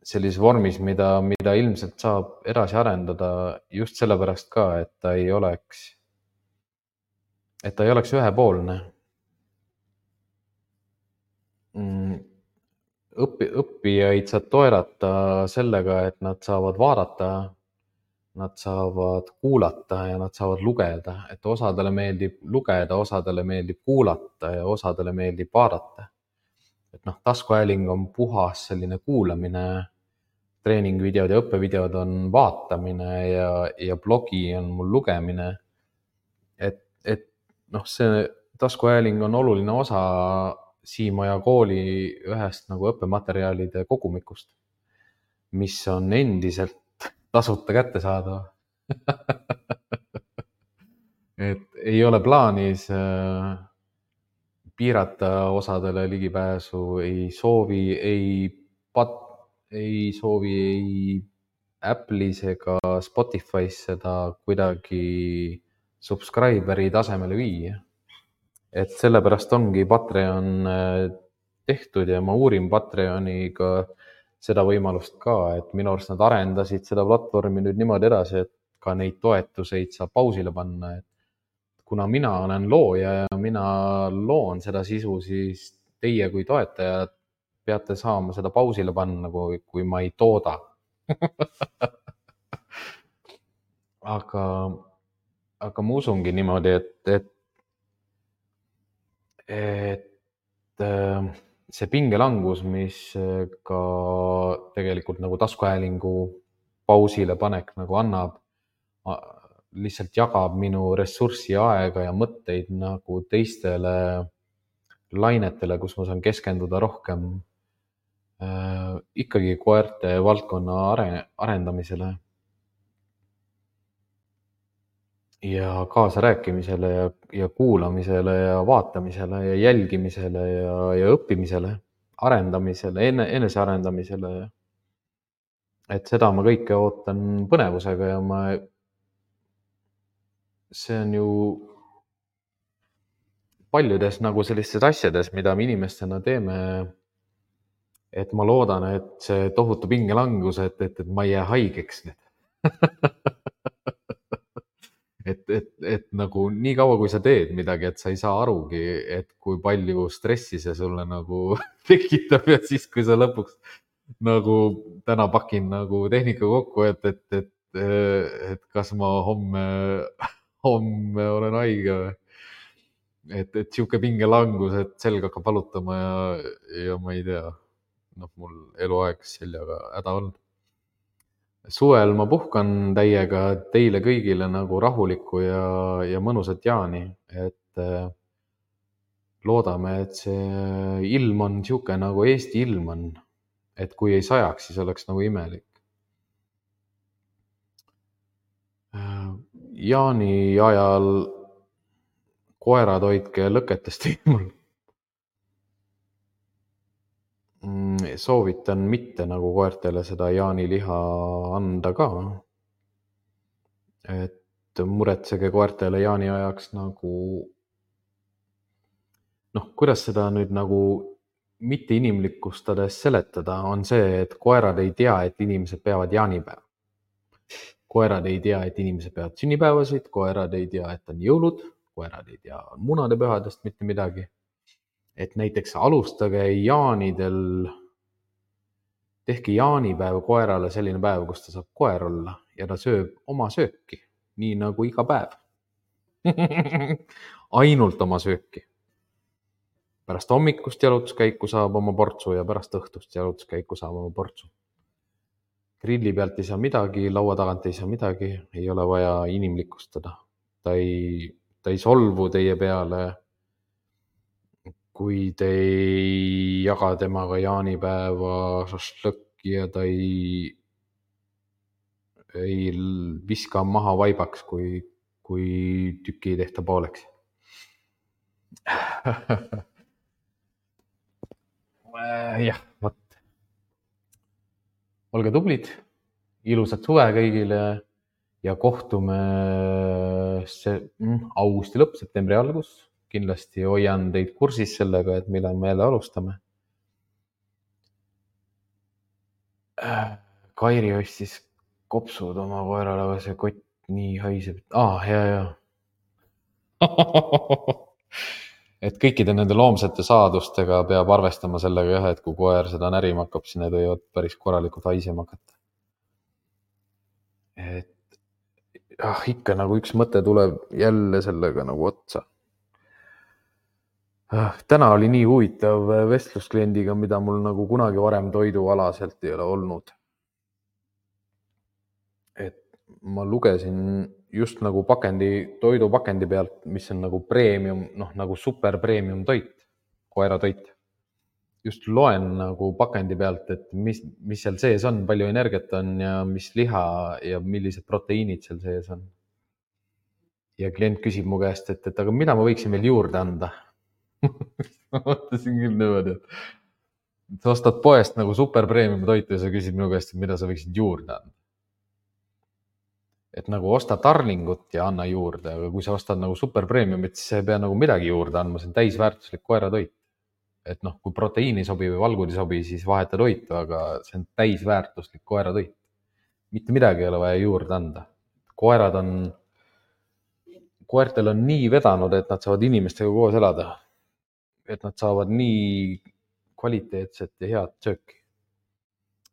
sellises vormis, mida, mida ilmselt saab edasi arendada just sellepärast ka, et ta ei oleks, et ta ei oleks ühepoolne. Õppi, õppijaid saad toerata sellega, et nad saavad vaadata, nad saavad kuulata ja nad saavad lugeda, et osadele meeldib lugeda, osadele meeldib kuulata ja osadele meeldib vaadata. Et noh, taskuhääling on puhas selline kuulamine, treeningvideod ja õppevideod on vaatamine ja, ja blogi on mul lugemine. Et, et noh, see taskuhääling on oluline osa Siimaja kooli ühest nagu õppematerjalide kogumikust, mis on endiselt tasuta kättesaadav. Et ei ole plaanis piirata osadele ligipääsu, ei soovi, ei pat, ei soovi ei Apple'is ega Spotify's seda kuidagi subscriberi tasemele viia. Et sellepärast ongi Patreon tehtud ja ma uurin Patreoniga seda võimalust ka, et minu arust nad arendasid seda platvormi nüüd niimoodi edasi, et ka neid toetuseid saab pausile panna. Et kuna mina olen looja ja mina loon seda sisu, siis teie kui toetajad peate saama seda pausile panna, kui, kui ma ei tooda. aga, aga ma usungi niimoodi, et, et et see pingelangus, mis ka tegelikult nagu taskuhäälingu pausile panek nagu annab, lihtsalt jagab minu ressurssi, aega ja mõtteid nagu teistele lainetele, kus ma saan keskenduda rohkem äh, ikkagi koerte valdkonna arendamisele ja kaasarääkimisele ja, ja kuulamisele ja vaatamisele ja jälgimisele ja, ja õppimisele, arendamisele, enne, enesearendamisele. Et seda ma kõike ootan põnevusega ja ma, see on ju paljudes nagu sellistes asjades, mida me inimestena teeme, et ma loodan, et see tohutu pingelangus, et, et, et ma ei jää haigeks nüüd. Et, et, et nagu nii kaua, kui sa teed midagi, et sa ei saa arugi, et kui palju stressi see sulle nagu tekitab ja siis, kui sa lõpuks nagu täna pakin nagu tehnika kokku, et, et, et, et kas ma homme, homme olen haige või. Et, et siuke pingelangus, et selg hakkab valutama ja, ja ma ei tea, noh, mul eluaeg seljaga häda on. Suvel ma puhkan täiega, teile kõigile nagu rahulikku ja, ja mõnusat jaani, et loodame, et see ilm on siuke nagu Eesti ilm on, et kui ei sajaks, siis oleks nagu imelik. Jaani ajal koerad hoidke lõketest eemal. Soovitan mitte nagu koertele seda jaaniliha anda ka. Et muretsege koertele jaani ajaks nagu, noh, kuidas seda nüüd nagu mitte inimlikustades seletada, on see, et koerad ei tea, et inimesed peavad jaanipäeva. Koerad ei tea, et inimesed peavad sünnipäevasid, koerad ei tea, et on jõulud, koerad ei tea munade pühadest mitte midagi. Et näiteks alustage jaanidel, tehke jaanipäev koerale selline päev, kus ta saab koer olla ja ta sööb oma sööki, nii nagu iga päev. Ainult oma sööki. Pärast hommikust jalutuskäiku saab oma portsu ja pärast õhtust jalutuskäiku saab oma portsu. Grilli pealt ei saa midagi, laua tagant ei saa midagi, ei ole vaja inimlikustada. Ta ei, ta ei solvu teie peale. kui te ei jaga temaga jaanipäeva šašlõkki ja ta ei, ei viska maha vaibaks, kui, kui tüki ei tehta pooleks. jah, vot. olge tublid, ilusat suve kõigile ja kohtume see, mm, augusti lõpp, septembri algus. Kindlasti hoian teid kursis sellega, et millal me jälle alustame. Kairi ostis kopsud oma koerale, aga see kott nii haiseb. Ah, ja, ja. et kõikide nende loomsete saadustega peab arvestama sellega jah, et kui koer seda närima hakkab, siis need võivad päris korralikult haisema hakata. et ah, ikka nagu üks mõte tuleb jälle sellega nagu otsa. Ah, täna oli nii huvitav vestlus kliendiga, mida mul nagu kunagi varem toidualaselt ei ole olnud. et ma lugesin just nagu pakendi, toidupakendi pealt, mis on nagu premium, noh nagu super premium toit, koeratoit. Just loen nagu pakendi pealt, et mis, mis seal sees on, palju energiat on ja mis liha ja millised proteiinid seal sees on. Ja klient küsib mu käest, et, et aga mida ma võiksin veel juurde anda? ma mõtlesin küll niimoodi, et sa ostad poest nagu super premium toitu ja sa küsid minu käest, et mida sa võiksid juurde anda. Et nagu osta Darlingut ja anna juurde, aga kui sa ostad nagu super premiumit, siis sa ei pea nagu midagi juurde andma, see on täisväärtuslik koeratoit. Et noh, kui proteiini sobi või valgud ei sobi, siis vaheta toitu, aga see on täisväärtuslik koeratoit. Mitte midagi ei ole vaja juurde anda. Koerad on, koertel on nii vedanud, et nad saavad inimestega koos elada. Et nad saavad nii kvaliteetset ja head sööki.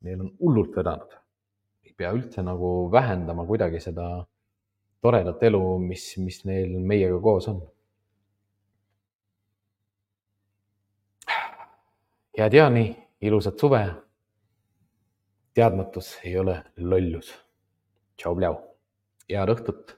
Neil on hullult vedanud. Ei pea üldse nagu vähendama kuidagi seda toredat elu, mis, mis neil meiega koos on. Head jaani, ilusat suve. Teadmatus ei ole lollus. Tšau, pljau. Head õhtut.